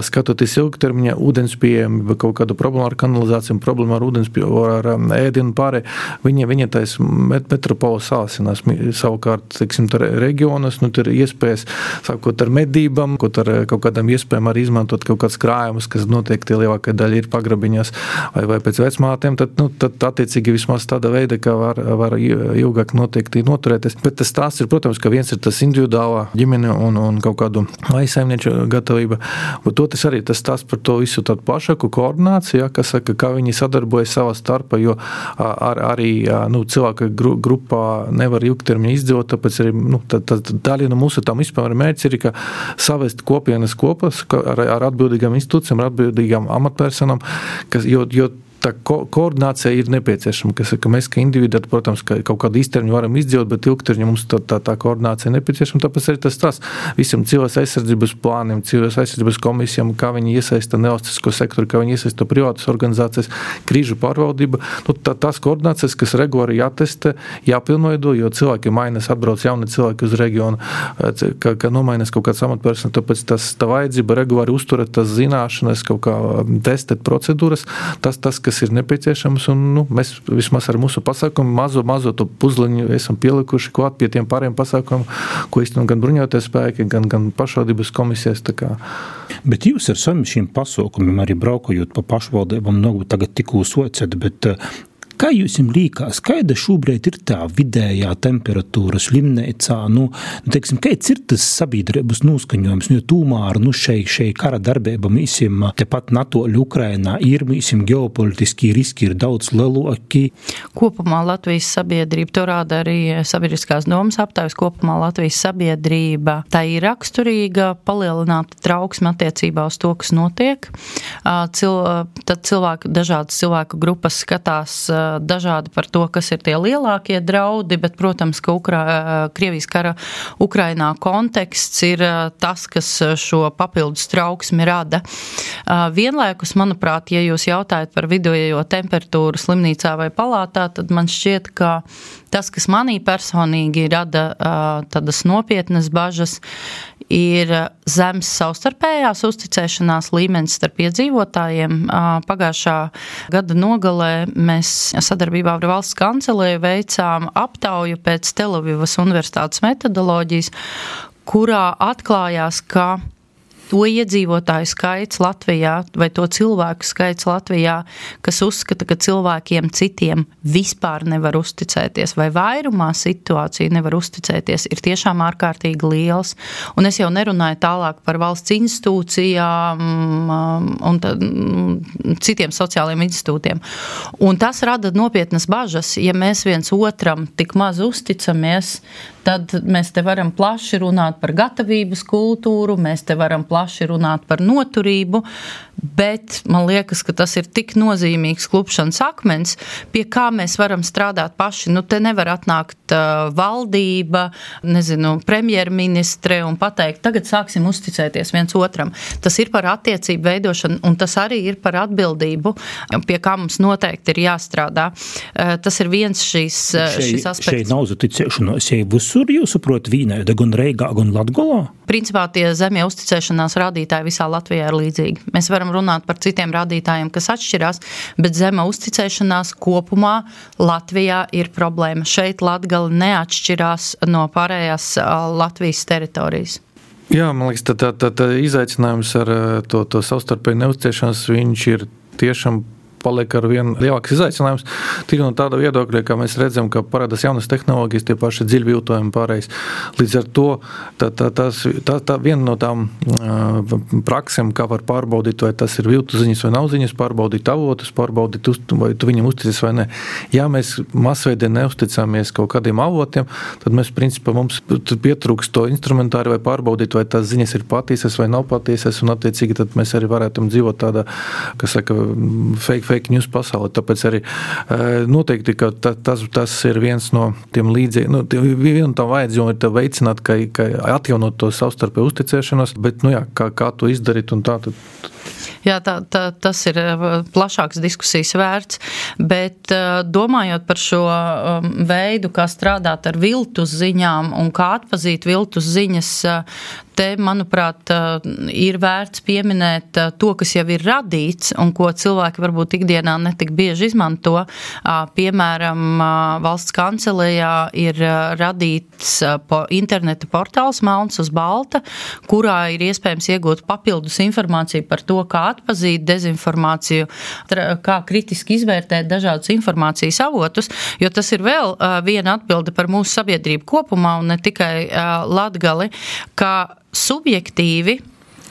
skatoties ilgtermiņā ūdens pieejami, kaut kādu problēmu ar kanalizāciju, problēmu ar ūdens pieejami, ar ēdienu pārē, viņi, viņi tais metropola sāsinās. Savukārt, teiksim, tar reģionas, nu, tur ir iespējas, sākot ar medībām, kaut ar kaut kādām iespējām arī izmantot kaut kāds krājumus, kas noteikti lielākā daļa ir pagrabiņās vai, vai pēc vecmātēm, tad, nu, tad attiecīgi vismaz tāda veida, ka var, var ilgāk noteikti noturēties. Bet tas tās ir, protams, ka viens ir tas individuālā ģimene un, un kaut kādu aizsaimnieču gatavība, bet otrs arī tas tās par to visu tādu plašāku koordināciju, ja, kas saka, kā viņi sadarbojas savā starpā, jo ar, arī nu, cilvēka grupā nevar ilgtermiņā izdzīvot, tāpēc arī nu, tā, tā, tā daļa no mūsu tam vispār mērķis ir, ka savest kopienas kopas ar, ar atbildīgām institūcijām, ar atbildīgām amatpersonām, kas, jo, jo tā ko, koordinācija ir nepieciešama, kas, ka mēs, ka individu, protams, ka kaut kādu īstermiņu varam izdzīvot, bet ilgtermiņā mums tā, tā, tā koordinācija nepieciešama, tāpēc arī tas tas visam cilvēks aizsardzības plāniem, cilvēks aizsardzības komisijām, kā viņi iesaista nevalstisko sektoru, kā viņi iesaista privātas organizācijas, krīžu pārvaldība, nu, tā, tās koordinācijas, kas regulāri jātestē, jāpilnveido, jo cilvēki mainās, atbrauc jauni cilvēki uz reģionu, ka, ka nomainās kaut kāds amatpersona, tāpēc tas tā vajadzība regulāri uzturēt tas zināšanas, kaut kā testēt procedūras, tas, tas, kas ir nepieciešams, un nu, mēs vismaz ar mūsu pasākumu mazo, mazo to puzliņu esam pielikuši klāt pie tiem pāriem pasākumiem, ko īstenībā gan bruņoties spēki, gan, gan pašvaldības komisijas. Tā kā. Bet jūs ar saviem šiem pasākumiem arī braukojot pa pašvaldībām, nu, tagad tikko socat, bet kā jūs jums līkās, kāda šobrīd ir tā vidējā temperatūra slimnīcā? Nu, teiksim, kāds ir tas sabiedrības noskaņojums? Nu, tūmār, nu, šei, šei kara darbība mīsim tepat Natoļu Ukrainā ir, mīsim ģeopolitiski riski ir daudz lielāki. Kopumā Latvijas sabiedrība, to rāda arī sabiedriskās domas aptaujas, kopumā Latvijas sabiedrība, tā ir raksturīga, palielināta trauksme attiecībā uz to, kas notiek. Cil, tad cilvēku, dažādas cilvēku grupas skatās dažādi par to, kas ir tie lielākie draudi, bet, protams, ka Ukra, Krievijas kara Ukrainā konteksts ir tas, kas šo papildus trauksmi rada. Vienlaikus, manuprāt, ja jūs jautājat par vidējo temperatūru slimnīcā vai palātā, tad man šķiet, ka tas, kas manī personīgi rada tādas nopietnas bažas, ir zems savstarpējās uzticēšanās līmenis starp iedzīvotājiem. Pagājušā gada nogalē mēs sadarbībā ar valsts kancelēju veicām aptauju pēc Telavivas universitātes metodoloģijas, kurā atklājās, ka to iedzīvotāju skaits Latvijā vai to cilvēku skaits Latvijā, kas uzskata, ka cilvēkiem citiem vispār nevar uzticēties vai vairumā situāciju nevar uzticēties, ir tiešām ārkārtīgi liels. Un es jau nerunāju tālāk par valsts institūcijām un tad, citiem sociāliem institūtiem. Un tas rada nopietnas bažas, ja mēs viens otram tik maz uzticamies, tad mēs te varam plaši runāt par gatavības kultūru, mēs te varam plaši runāt par noturību, bet man liekas, ka tas ir tik nozīmīgs klupšanas akmens, pie kā mēs varam strādāt paši. Nu, te nevar atnākt uh, valdība, nezinu, premjerministre un pateikt, tagad sāksim uzticēties viens otram. Tas ir par attiecību veidošanu, un tas arī ir par atbildību, pie kā mums noteikti ir jāstrādā. Uh, tas ir viens šīs, šei, šis aspekts. Šeit nav uzticēšanos, ja visur jūs saprot vīnēda, gan Reigā, gan Latgolā? Principā tie zemie uzticēšanās rādītāji visā Latvijā ir līdzīgi. Mēs varam runāt par citiem rādītājiem, kas atšķirās, bet zema uzticēšanās kopumā Latvijā ir problēma. Šeit Latgala neatšķirās no pārējās Latvijas teritorijas. Jā, man liekas, tā, tā, tā, tā izaicinājums ar to, to savstarpēju neuzticēšanos, viņš ir tiešām paliek ar vien lielāks izaicinājums. Tik no tāda viedokļa, ka mēs redzam, ka parādās jaunas tehnoloģijas, tie paši dziļviltojumi pārējais. Līdz ar to tā, tā, tās, tā, tā viena no tām uh, praksēm, kā var pārbaudīt, vai tas ir viltu ziņas vai nav ziņas, pārbaudīt avotus, pārbaudīt, vai tu viņam uzticies vai ne. Ja mēs masveidē neusticamies kaut kādiem avotiem, tad mēs, principā, mums pietrūks to instrumentāri vai pārbaudīt, vai tās ziņas ir patiesas vai nav patiesas, un attiecīgi tad mēs arī varētu dzīvot tādā, kas saka, fake, fake news pasaulē. Tāpēc arī noteikti, ka tas, tas ir viens no tiem līdzīgi, nu, vienu tam vajadzību ir veicināt, ka, ka atjaunot to savstarpēju uzticēšanos, bet, nu jā, kā, kā to izdarīt un tā, tad Jā, tā, tā, tas ir plašāks diskusijas vērts, bet domājot par šo veidu, kā strādāt ar viltus ziņām un kā atpazīt viltus ziņas, te, manuprāt, ir vērts pieminēt to, kas jau ir radīts un ko cilvēki varbūt ikdienā netik bieži izmanto. Piemēram, valsts kancelejā ir radīts interneta portāls Melns uz balta, kurā ir iespējams iegūt papildus informāciju par to, kā atpazīt dezinformāciju, kā kritiski izvērtēt dažādus informācijas avotus, jo tas ir vēl viena atbilde par mūsu sabiedrību kopumā un ne tikai Latgali, ka subjektīvi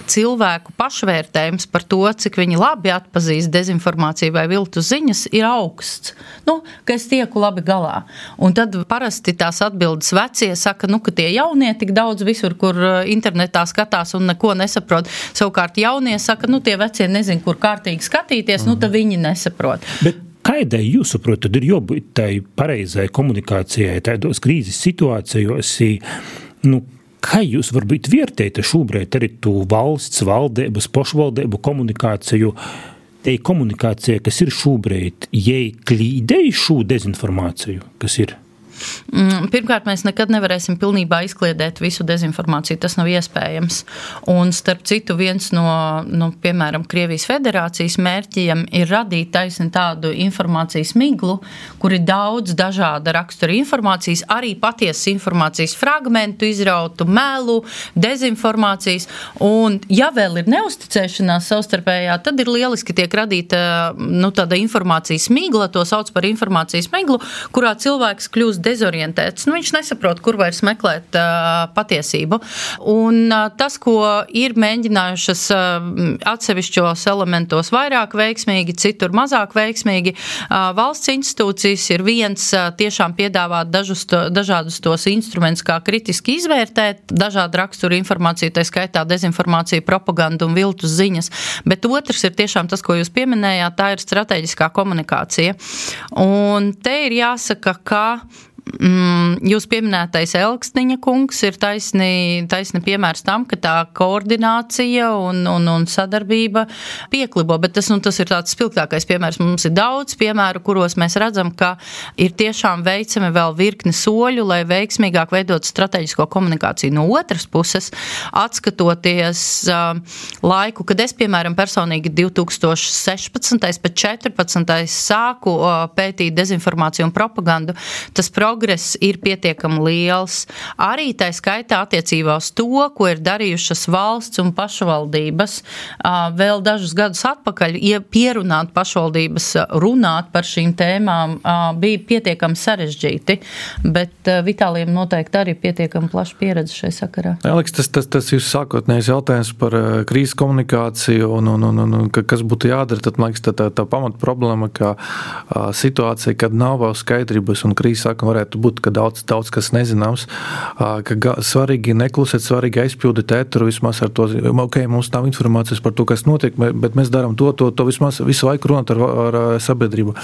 cilvēku pašvērtējums par to, cik viņi labi atpazīst dezinformāciju vai viltus ziņas, ir augsts. Nu, ka es tieku labi galā. Un tad parasti tās atbildes vecie saka, nu, ka tie jaunie tik daudz visur, kur internetā skatās un neko nesaprot. Savukārt jaunie saka, nu, tie vecie nezin, kur kārtīgi skatīties, nu, tad viņi nesaprot. Bet kādai jūs saprotat, tad ir jābūt tai pareizai komunikācijai, tādos krīzes situācijos, nu, kā jūs varbūt vērtējat šobrīd arī tu valsts, valdības, pašvaldību komunikāciju, te komunikācija, kas ir šobrīd, jai klīdēja šo dezinformāciju, kas ir? Pirmkārt, mēs nekad nevarēsim pilnībā izkliedēt visu dezinformāciju, tas nav iespējams. Un starp citu, viens no, no piemēram, Krievijas federācijas mērķiem ir radīt taisni tādu informācijas miglu, kur ir daudz dažāda rakstura informācijas, arī patiesas informācijas fragmentu, izrautu melu, dezinformācijas. Un ja vēl ir neusticēšanās savstarpējā, tad ir lieliski tiek radīta, nu, tāda informācijas migla, to sauc par informācijas miglu, kurā cilvēks kļūst dezorientēts. Nu, viņš nesaprot, kur vairs meklēt uh, patiesību. Un uh, tas, ko ir mēģinājušas uh, atsevišķos elementos vairāk veiksmīgi, citur mazāk veiksmīgi, uh, valsts institūcijas ir viens uh, tiešām piedāvāt dažus to, dažādus tos instrumentus, kā kritiski izvērtēt dažādu raksturu informāciju, tā skaitā dezinformāciju, propagandu un viltus ziņas. Bet otrs ir tiešām tas, ko jūs pieminējāt, tā ir strateģiskā komunikācija. Un te ir jāsaka, ka Mm, jūs pieminētais Elksniņa kungs ir taisni, taisni piemērs tam, ka tā koordinācija un, un, un sadarbība pieklibo, bet tas, nu, tas ir tāds spilgtākais piemērs. Mums ir daudz piemēru, kuros mēs redzam, ka ir tiešām veicami vēl virkni soļu, lai veiksmīgāk veidot strateģisko komunikāciju. No otras puses, atskatoties uh, laiku, kad es, piemēram, personīgi divi tūkstoši sešpadsmitais pēc četrpadsmitais sāku uh, pētīt dezinformāciju un propagandu, tas progress ir pietiekami liels. Arī tā skaitā attiecībā uz to, ko ir darījušas valsts un pašvaldības. Vēl dažus gadus atpakaļ, ja pierunāt pašvaldības runāt par šīm tēmām, bija pietiekami sarežģīti, bet Vitālijam noteikti arī pietiekami plaša pieredze šai sakarā. Aleks, tas, tas, tas jūs sākotnējais jautājums par krīzes komunikāciju un, un, un, un, un kas būtu jādara, tad, man liekas, tā, tā, tā pamat problēma, ka situācija, kad nav vēl skaidrības un krīzes sākuma varētu būt, ka daudz, daudz kas nezināms, ka svarīgi neklusēt, svarīgi aizpildīt ēteru vismaz ar to, ok, mums nav informācijas par to, kas notiek, bet mēs darām to, to, to vismaz visu laiku runāt ar, ar sabiedrību.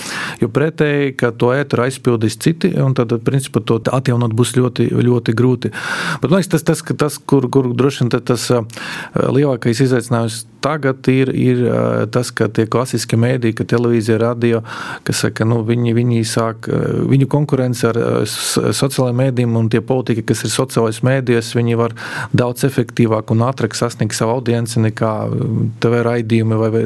Jo pretēji, ka to ēteru aizpildīs citi, un tad, principā, to atjaunot būs ļoti, ļoti grūti. Bet, man liekas, tas, tas, tas kur, kur droši vien tas lielākais izaicinājums tagad ir, ir tas, ka tie klasiski mēdī, ka televīzija, radio, kas saka, nu, viņi, viņi sāk, viņu konkurence ar sociālajiem mēdījiem un tie politika, kas ir sociālais mēdījos, viņi var daudz efektīvāk un ātrāk sasniegt savu audienci nekā T V raidījumi. Vai, vai.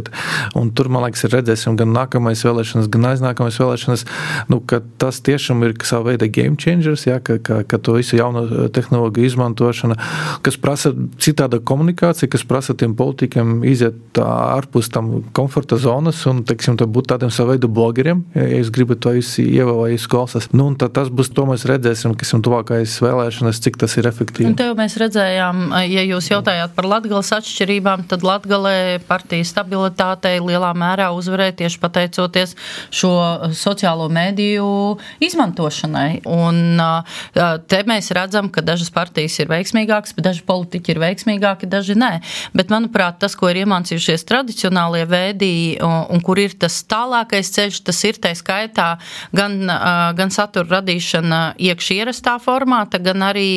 Un tur, man liekas, ir redzēsim gan nākamais vēlēšanas, gan aiznākamais vēlēšanas, nu, ka tas tiešām ir savu veidu game changers, ja, ka, ka, ka to visu jauno tehnoloģiju izmantošana, kas prasa citāda komunikācija, kas prasa tiem politikiem iziet ārpus tam komforta zonas un, teiksim, būt tādiem savu veidu blogeriem, ja jūs gribat to visi ievā vai jūs klausās. Nu, un tad tas būs, to mēs redzēsim, kas ir tuvākais vēlēšanas, cik tas ir efektīvi. Un tev mēs redzējām, ja jūs jautājāt par Latgales atšķirībām, tad Latgalē partija stabilitātei lielā mērā uzvarēja tieši pateicoties šo sociālo mēdīju izmantošanai. Un te mēs redzam, ka dažas partijas ir veiksmīgākas, bet daži politiķi ir veiksmīgāki, daži nē. Bet, manuprāt, tas, ko ir iemācījušies tradicionālie vēdī un, un kur ir tas tālākais ceļš, tas ir tai skaitā gan, gan satura radīšana iekš ierastā formāta, gan arī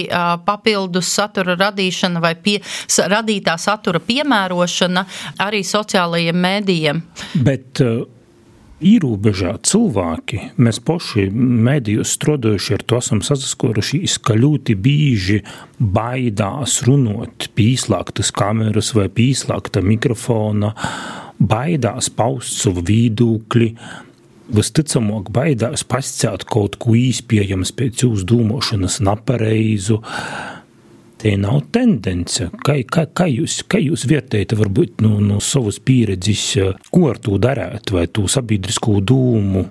papildus satura radīšana vai pie, radītā satura piemērošana arī sociālajiem mēdījiem. Bet īrūbežā cilvēki, mēs poši mēdījos strodojuši ar to esam sasaskorušies, ka ļoti bīži baidās runot pīslāktas kameras vai pīslākta mikrofona, baidās paust savu viedokli, visticamāk baidās pasciāt kaut ko īspējams pēc jūsu dūmošanas napareizu. Te nav tendence. Kā, kā, kā, jūs, kā jūs vērtējat varbūt no, no savas pieredzes, ko ar to darēt, vai to sabiedrisko dūmu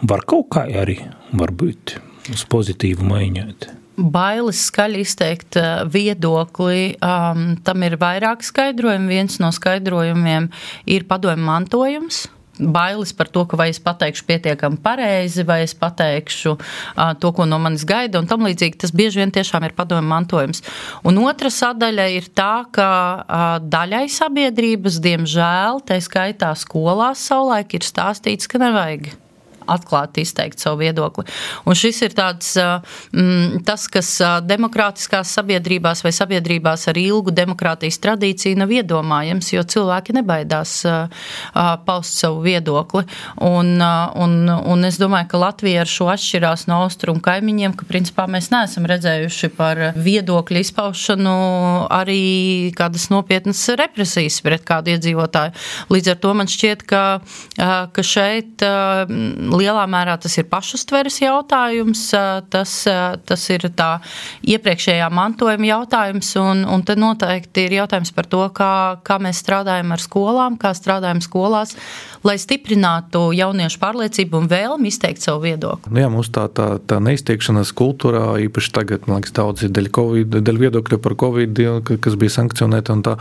var kaut kā arī varbūt uz pozitīvu maiņot? Bailes skaļi izteikt viedokli, um, tam ir vairāk skaidrojumi. Viens no skaidrojumiem ir padomju mantojums. Bailes par to, ka vai es pateikšu pietiekami pareizi, vai es pateikšu uh, to, ko no manis gaida, un tam līdzīgi tas bieži vien tiešām ir padomju mantojums. Un otra sadaļa ir tā, ka uh, daļai sabiedrības, diemžēl, tai skaitā skolās savulaik ir stāstīts, ka nevajag atklāti izteikt savu viedokli. Un šis ir tāds, mm, tas, kas demokrātiskās sabiedrībās vai sabiedrībās ar ilgu demokrātijas tradīciju nav iedomājams, jo cilvēki nebaidās paust savu viedokli. Un, un, un es domāju, ka Latvija ar šo atšķirās no austrumu kaimiņiem, ka principā mēs neesam redzējuši par viedokļu izpaušanu arī kādas nopietnas represijas pret kādu iedzīvotāju. Līdz ar to man šķiet, ka, ka šeit lielā mērā tas ir pašuztveres jautājums, tas, tas ir tā iepriekšējā mantojuma jautājums, un, un te noteikti ir jautājums par to, kā, kā mēs strādājam ar skolām, kā strādājam skolās, lai stiprinātu jauniešu pārliecību un vēlmi izteikt savu viedokli. Nu jā, mums tā, tā, tā neizteikšanas kultūrā, īpaši tagad, man liekas, daudz ir dēļ, COVID, dēļ viedokļa par Covid, kas bija sankcionēta un tā,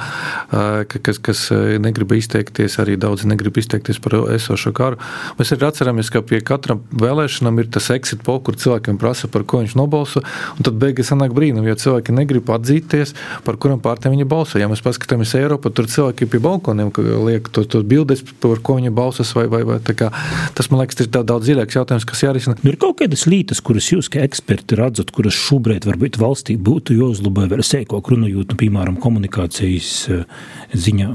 kas, kas negrib izteikties, arī daudzi negrib izteikties par esošo karu. Mēs arī atceramies, ka pie katram vēlēšanām ir tas exit poll, kur cilvēkiem prasa, par ko viņš nobalso, un tad beigas sanāk brīnum, jo cilvēki negrib atzīties, par kuram pārtiem viņi balso. Ja mēs paskatāmies Eiropu, tur cilvēki pie balkoniem liek to, to bildes, par ko viņi balsas, vai, vai, vai tā kā, tas, man liekas, ir tā daudz dziļāks jautājums, kas jārisina. Nu, ir kaut kādas lietas, kuras jūs, kā eksperti, redzat, kuras šobrīd varbūt valstī būtu jāuzlabo vēl sēkāk runājot, nu, piemēram, komunikācijas ziņā.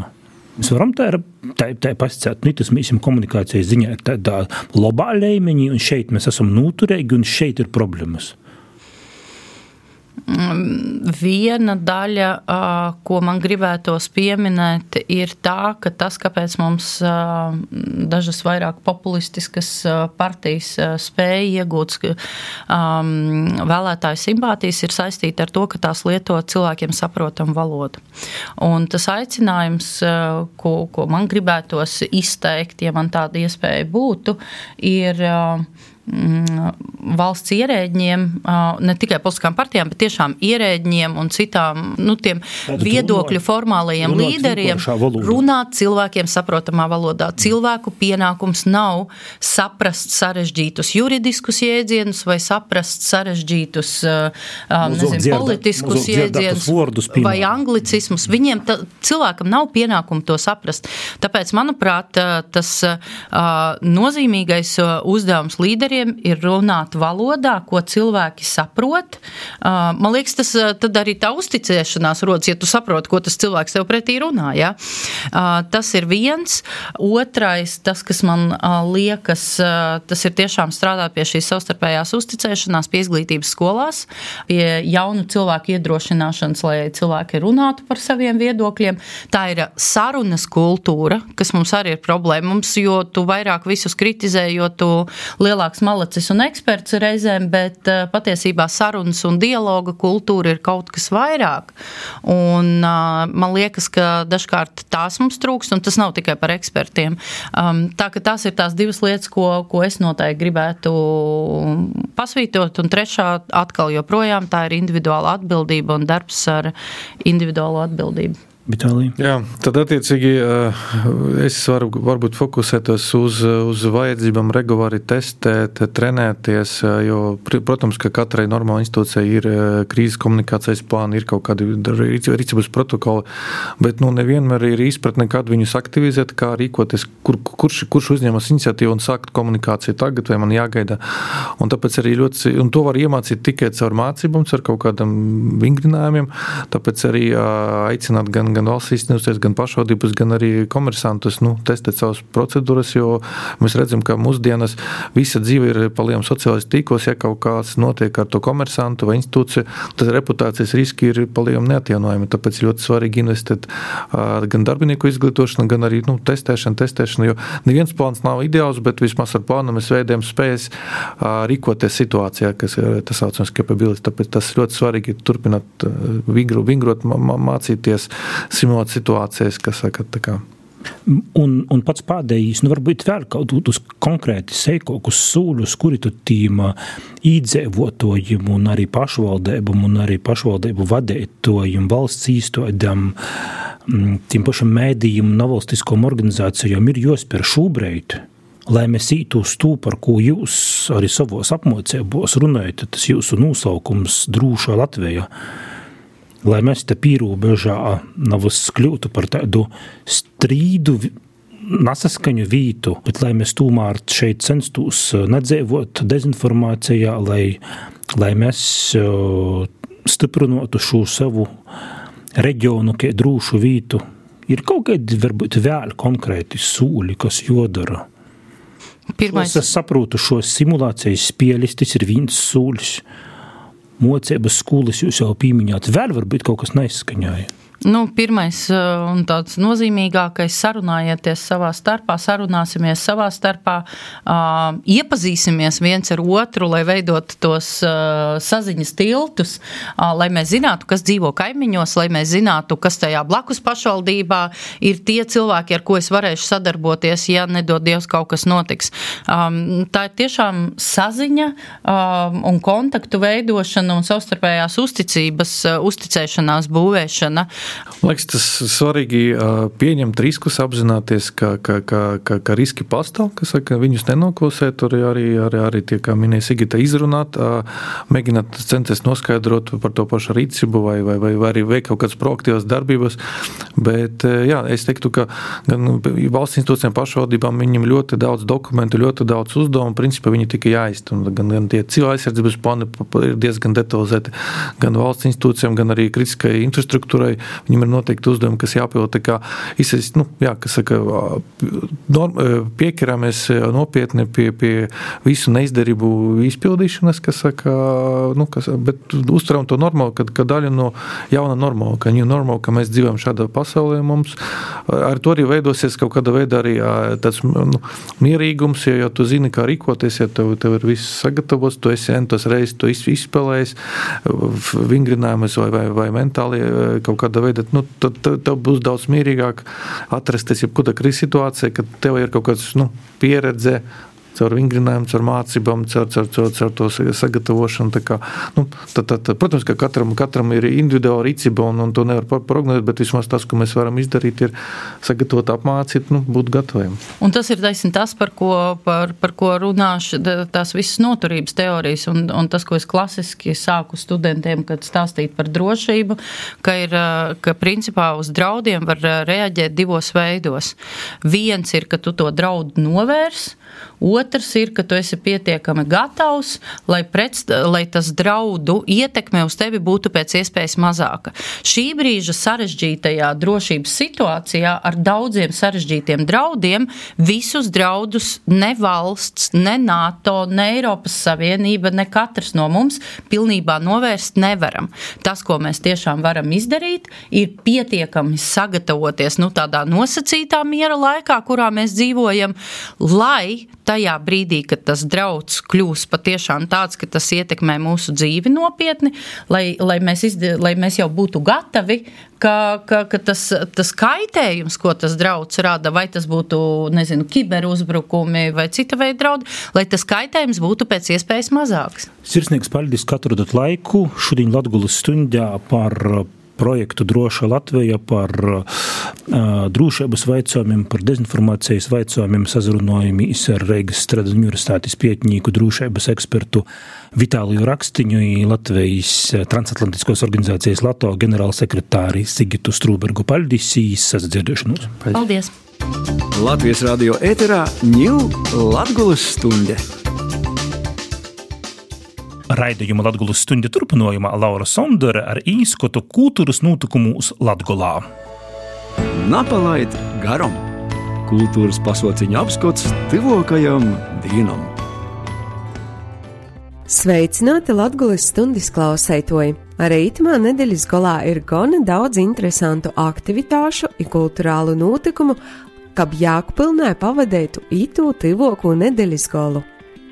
Mēs varam tā, tā, tā pasacēt, nu, tas mēs esam komunikācijas ziņā tādā labā līmenī, un šeit mēs esam noturīgi, un šeit ir problēmas. Viena daļa, ko man gribētos pieminēt, ir tā, ka tas, kāpēc mums dažas vairāk populistiskas partijas spēja iegūt vēlētāju simpātijas, ir saistīta ar to, ka tās lieto cilvēkiem saprotam valodu. Un tas aicinājums, ko, ko man gribētos izteikt, ja man tāda iespēja būtu, ir valsts ierēģiem, ne tikai politiskām partijām, bet tiešām ierēģiem un citām, nu, tiem Tātad viedokļu runāt, formālajiem runāt līderiem runāt cilvēkiem saprotamā valodā. Cilvēku pienākums nav saprast sarežģītus juridiskus jēdzienus vai saprast sarežģītus, nezinu, dzierda, politiskus jēdzienus vai anglicismus. Viņiem ta, cilvēkam nav pienākumu to saprast. Tāpēc, manuprāt, tas nozīmīgais uzdevums līderiem ir runāt valodā, ko cilvēki saprot. Man liekas, tas tad arī tā uzticēšanās rodas, ja tu saproti, ko tas cilvēks tev pretī runā. Ja? Tas ir viens. Otrais, tas, kas man liekas, tas ir tiešām strādāt pie šīs savstarpējās uzticēšanās, pie izglītības skolās, pie jaunu cilvēku iedrošināšanas, lai cilvēki runātu par saviem viedokļiem. Tā ir sarunas kultūra, kas mums arī ir problēma. Mums, jo tu vairāk visus kritizē, jo tu lielāks malacis un eksperts reizēm, bet patiesībā sarunas un dialoga kultūra ir kaut kas vairāk. Un man liekas, ka dažkārt tās mums trūkst, un tas nav tikai par ekspertiem. Tā ka tās ir tās divas lietas, ko, ko es noteikti gribētu pasvītot, un trešā atkal joprojām tā ir individuāla atbildība un darbs ar individuālo atbildību. Vitālija. Jā, tad attiecīgi es varu varbūt fokusētos uz, uz vajadzībām regulāri testēt, trenēties, jo, protams, ka katrai normāla institūcijai ir krīzes komunikācijas plāni, ir kaut kādi rīcības protokoli, bet nu, nevienmēr ir izpratne, kad viņus aktivizēt, kā rīkoties, kur, kurš, kurš uzņemas iniciatīvu un sākt komunikāciju tagad, vai man jāgaida. Un tāpēc arī ļoti, un to var iemācīt tikai caur mācībām, caur kaut kādam vingrinājumiem, tāpēc arī aicināt gan gan valsts institūcijas, gan pašvaldības, gan arī komersantus, nu, testēt savas procedūras, jo mēs redzam, ka mūsdienas visa dzīve ir palielam sociālais tīklos, ja kaut kāds notiek ar to komersantu vai institūciju, tad reputācijas riski ir palielam neatjaunojami, tāpēc ļoti svarīgi investēt gan darbinieku izglītošanu, gan arī, nu, testēšanu, testēšanu, jo neviens plāns nav ideāls, bet vismaz ar plānu mēs veidējam spējas rīkoties situācijā, kas ir tas saucams capability, tāpēc tas ļoti svarīgi turpināt vingru, vingrot, mācīties, simulēt situācijas, kas saka, tā kā. Un, un pats pēdējīs, nu varbūt vēl kaut uz konkrēti seikokus sūļus, kuri tu tīm īdzēvotojiem un arī pašvaldībam un arī pašvaldību vadētojiem, valsts īstodam, tiem pašam mēdījiem un nevalstiskām organizācijām ir jāspēr šobrīd, lai mēs ītu uz to, par ko jūs arī savos apmācībos runājat, tas jūsu nosaukums Drūša Latveja, lai mēs te pīrobežā nav kļūtu par tādu strīdu, nesaskaņu vītu, bet lai mēs tūmār šeit censtos nedzēvot dezinformācijā, lai, lai mēs stiprinotu šo savu reģionu, kā drūšu vītu. Ir kaut kādi, varbūt, vēl konkrēti sūļi, kas jodara. Pirmais. Es saprotu, šo simulācijas spēlis, tas ir viens sūļs. Mocības skolas jūs jau pīmiņāt, vēl varbūt kaut kas neizskaņāja. Nu, pirmais un tāds nozīmīgākais sarunājieties savā starpā, sarunāsimies savā starpā, uh, iepazīsimies viens ar otru, lai veidot tos uh, saziņas tiltus, uh, lai mēs zinātu, kas dzīvo kaimiņos, lai mēs zinātu, kas tajā blakus pašvaldībā ir tie cilvēki, ar ko es varēšu sadarboties, ja nedod Dievs kaut kas notiks. Um, tā ir tiešām saziņa um, un kontaktu veidošana un savstarpējās uzticības, uh, uzticēšanās būvēšana. Liekas, tas svarīgi pieņemt riskus, apzināties, ka, ka, ka, ka, ka riski pastāv, ka saka, viņus nenoklusēt, arī, arī, arī, arī tie, kā minēja Sigita, izrunāt, mēģināt censties noskaidrot par to pašu rīcību vai, vai, vai, vai arī veikt kaut kādas proaktīvas darbības, bet jā, es teiktu, ka gan valsts institūcijām pašvaldībām viņiem ļoti daudz dokumentu, ļoti daudz uzdevumu, principā viņi tikai jāizst, un gan, gan tie cilvēku aizsardzības plāni ir diezgan detalizēti, gan valsts institūcijām, gan arī kritiskai infrastruktūrai. Viņam ir noteikti uzdevumi, kas jāpild, tā kā izsist, nu, jā, kas saka, norm, piekarāmies nopietni pie, pie visu neizdarību izpildīšanas, kas saka, nu, kas, bet uztveram to normāli, ka, ka daļa no jauna normāla, ka new normal, ka mēs dzīvojam šādā pasaulē mums, ar to arī veidosies kaut kāda veida arī tāds, nu, mierīgums, ja, ja tu zini, kā rīkoties, ja tev, tev ir viss sagatavots, tu esi entos reizes, tu esi izspēlējis, vingrinājumus vai, vai, vai mentāli kaut kāda veida, nu, tad tev būs daudz mierīgāk atrasties jebkuda krīzes situācija, kad tev ir kaut kāds, nu, pieredze, caur vingrinājumu, caur mācībām, caur, caur, caur, caur to sagatavošanu. Tā kā, nu, tad, tad, protams, ka katram, katram ir individuāla rīcība un, un to nevar prognozēt, bet vismaz tas, ko mēs varam izdarīt, ir sagatavot, apmācīt, nu, būt gataviem. Un tas ir taisni tas, par ko, par, par ko runāšu, tās visas noturības teorijas un, un tas, ko es klasiski sāku studentiem, kad stāstīt par drošību, ka ir, ka principā uz draudiem var reaģēt divos veidos. Viens ir, ka tu to draudu novērs, otrs ir, ka tu esi pietiekami gatavs, lai, pret, lai tas draudu ietekme uz tevi būtu pēc iespējas mazāka. Šī brīža sarežģītajā drošības situācijā ar daudziem sarežģītiem draudiem visus draudus ne valsts, ne NATO, ne Eiropas Savienība, ne katrs no mums pilnībā novērst nevaram. Tas, ko mēs tiešām varam izdarīt, ir pietiekami sagatavoties, nu, tādā nosacītā miera laikā, kurā mēs dzīvojam, lai tajā tajā brīdī, kad tas drauds kļūs patiešām tāds, ka tas ietekmē mūsu dzīvi nopietni, lai, lai, mēs, izd... lai mēs jau būtu gatavi, ka, ka, ka tas, tas kaitējums, ko tas drauds rada, vai tas būtu, nezinu, kiberuzbrukumi vai cita veida draudi, lai tas kaitējums būtu pēc iespējas mazāks. Sirsnīgs paldies, ka atradāt laiku šodien Latgulas stundā par projektu Droša Latveja, par uh, drošības vaicojumiem, par dezinformācijas vaicojumiem sazrunājumīs ar Reigas Stradas universitātes pētnieku drošības ekspertu Vitāliju Rakstiņu i Latvijas transatlantiskos organizācijas LATO ģenerālsekretāri Sigitu Strūbergu. Paldies, sadzirdēšanos. Paldies. Latvijas radio ēterā ņū Latgulas stunde. Raidījuma Latgulas stundi turpinājumā Laura Sondere ar īskotu kultūras notikumūs Latgolā. Napalaid garam. Kultūras pasauciņa apskots tuvākajam dīnam. Sveicināti Latgulas stundas klausētoji! Arī itamā nedēļas golā ir gana daudz interesantu aktivitāšu un kulturālu notikumu, kab Jākpilnē pavadētu itū tuvāko nedēļas golu.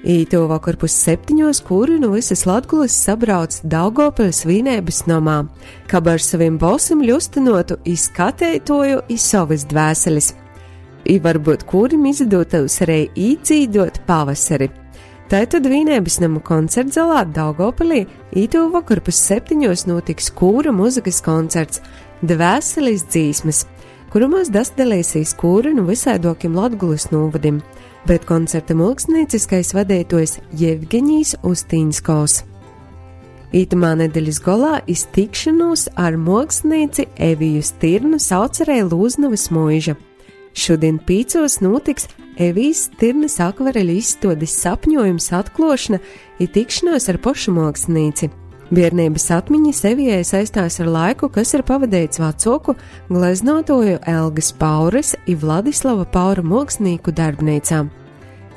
Īto vakar pus septiņos, kuri no visas Latgulas sabrauc Daugavpils vīnēbas nomā, kab ar saviem balsim ļustinotu izskateitoju iz savas dvēseles. I varbūt kurim izdotos arī īcīdot pavasari. Tātad vīnēbas nama koncertzalā Daugavpilī īto vakar pus septiņos notiks kūra muzikas koncerts Dvēseles dzīsmes, kurumās dasdalēsīs kūra no visaidokiem Latgulas novadim, bet koncerta mākslinieckais vadītājs Jevgeņijs Ustīnskos. Itamā nedēļas golā iztikšanos ar mākslinieci Eviju Stirnu sauc arī Lūznavas mūža. Šodien pīcos notiks Evijas Stirnas akvareļu izstādes sapņojums atklošana i tikšanos ar pošu mākslinieci. Biernības atmiņas Evijai saistās ar laiku, kas ir pavadīts vecāku gleznotoju Elgas Pauras i Vladislava Paura mākslinieku darbnīcām.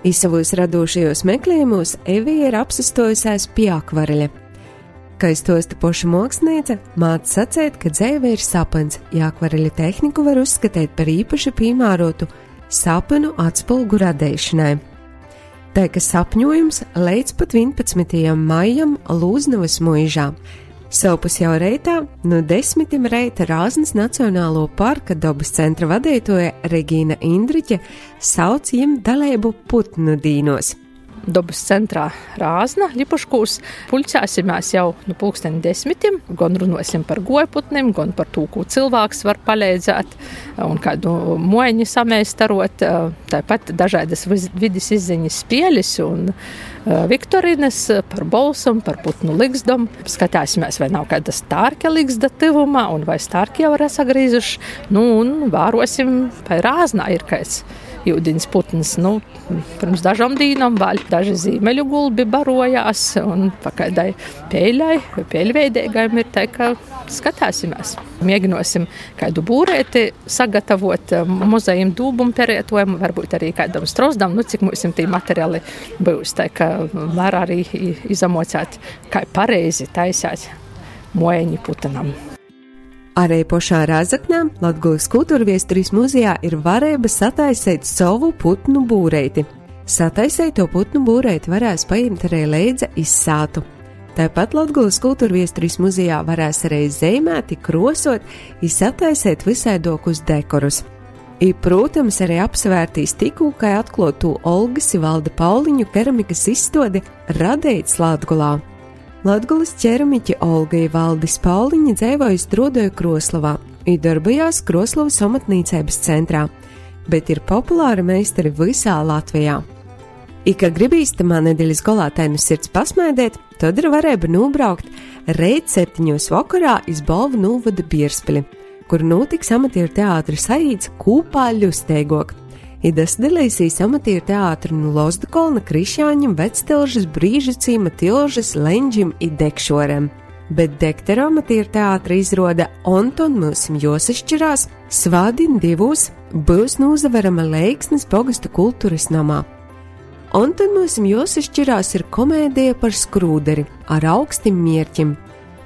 I savos radošajos meklējumos Evija ir apsastojusies pie akvareļa. Kā stosta poša mākslinieca, māc sacēt, ka dzeive ir sapens, ja akvareļa tehniku var uzskatīt par īpaši piemērotu sapenu atspulgu radīšanai. Tā ka sapņojums līdz pat vienpadsmitajam maijam Lūznavas mūžā. Savpus jau reitā no desmitim reita Rāznas Nacionālo parka dabas centra vadītoja Regīna Indriķe sauc jiem dalību putnu dīnos. Dabas centrā Rāzna, Lipuškūs, pulcēsimies jau no pulksteni desmitim, gan runosim par gojputnim, gan par tū, ko cilvēks var palīdzēt un kādu mojaņu samēstarot, tāpat dažādas vidis izziņas spēles un viktorīnas par bolsam, par putnu ligzdom. Skatāsimies, vai nav kāda stārka ligzda tivumā un vai stārki jau ir sagrīzuši, nu un vērosim, vai Rāznā ir kāds jūdiņas putns. Nu, pirms dažām dīnām vēl daži zīmeļu gulbi barojās un pa kādai pēļai, pēļveidīgajam ir tā, ka skatāsimies. Mēģinosim kādu būrēti sagatavot muzejiem dūbumu perētojumu, varbūt arī kādam strozdam, nu cik mūsim tī materiāli būs, tā ka var arī izamocēt, kā pareizi taisāt mojaņi putenam. Arī pošā Rāzaknā Latgulas kultūrviesturis muzejā ir varēba sataisēt savu putnu būreiti. Sataisēto putnu būreiti varēs paņemt arī līdzi izsātu. Tāpat Latgulas kultūrviesturis muzejā varēs arī zīmēt, krosot, sataisēt visaidokus dekorus. I, protams, arī apsvērtīs tikko, kā atklātu Olgas Valda Pauliņu keramikas izstādi radīts Latgulā. Latgulas ķeramiķi Olga Valdis Pauliņa dzīvoja Strudoju Kroslavā un darbojās Kroslavas amatniecības centrā, bet ir populāri meistari visā Latvijā. I, kā gribīstamā nedēļas golā tainu sirds pasmaidēt, tad ir varēba nobraukt reit septiņos vakarā iz Balvu novada Bierspili, kur notiks amatieru teātra saīts Kūpā ļusteigok. I dasdalīsīs amatieru teātri no Lozdakolna, Krišāņam, Vectilžas, Brīžacīma, Tilžas, Leņģim i Dekšorem. Bet Dektera amatieru teātra izroda Onton mūsim Josišķirās, svādien divos būs nūzaverama Leiksnes pogastu kultūras namā. Onton mūsim Josišķirās ir komēdija par skrūderi ar augstim mierķim.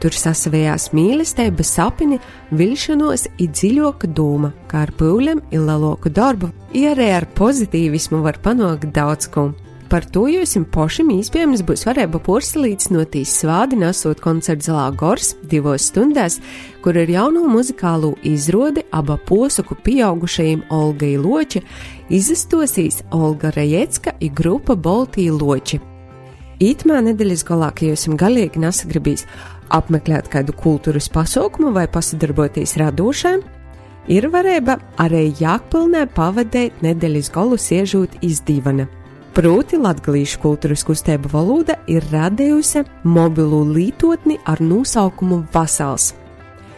Tur sasavējās mīlestība, sapini, vilšanos i dziļoka doma, kā ar pūļiem i leloku darbu, i arī ar pozitīvismu var panākt daudz ko. Par to jūs pošim īspējams būs varēja porsalīdzinotīs svādi nesot koncertu Zalā gors divos stundās, kur ir jauno muzikālo izrodi aba posaku pieaugušajiem Olgai Loči, izastosīs Olga Rajecka i grupa Boltī Loči. Ītmā nedēļas galā, ka jūs galīgi nesagribīs apmeklēt kādu kultūras pasaukumu vai pasadarboties radošai, ir varēja arī Jākpilnē pavadēt nedēļas galu siežūt iz divana. Proti latgalīšu kultūras kustība valoda ir radējusi mobilu lītotni ar nosaukumu Vasals,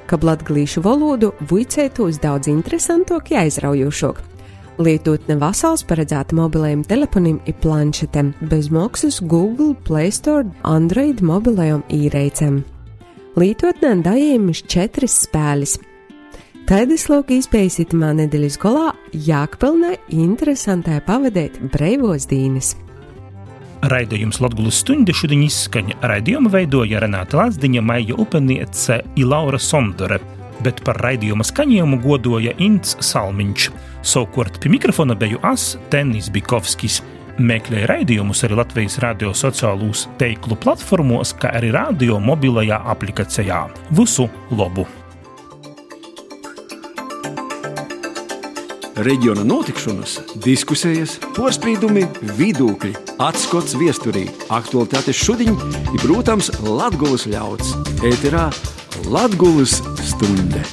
kab latgalīšu valodu vuicētos daudz interesantāk un aizraujošāk. Lietotne Vasals paredzēta mobilajiem telefoniem i planšetēm, bez maksas Google Play Store Android mobilajiem īreicēm. Lietotnē dajējumis četras spēles. Taidas lauka izpējas itamā nedēļas golā Jākpilnē interesantai pavadēt breivos dīnes. Raidījums Latgulas stundi šodien izskaņa. Raidījumu veidoja Renāta Lazdiņa, Maija Upeniece i Laura Sondore, bet par raidījuma skaņojumu godoja Ints Salmiņš. Savukārt pie mikrofona beju as Tennis Bikovskis. Meklēja raidījumus arī Latvijas radio sociālūs teiklu platformos, kā arī radio mobilajā aplikacijā. Visu labu! Reģiona notikšanas, diskusijas, porspīdumi, vidūkļi, atskots viesturī, aktualitātes šodien ir, protams, Latgulas ļauds. Ēterā Latgulas stunde.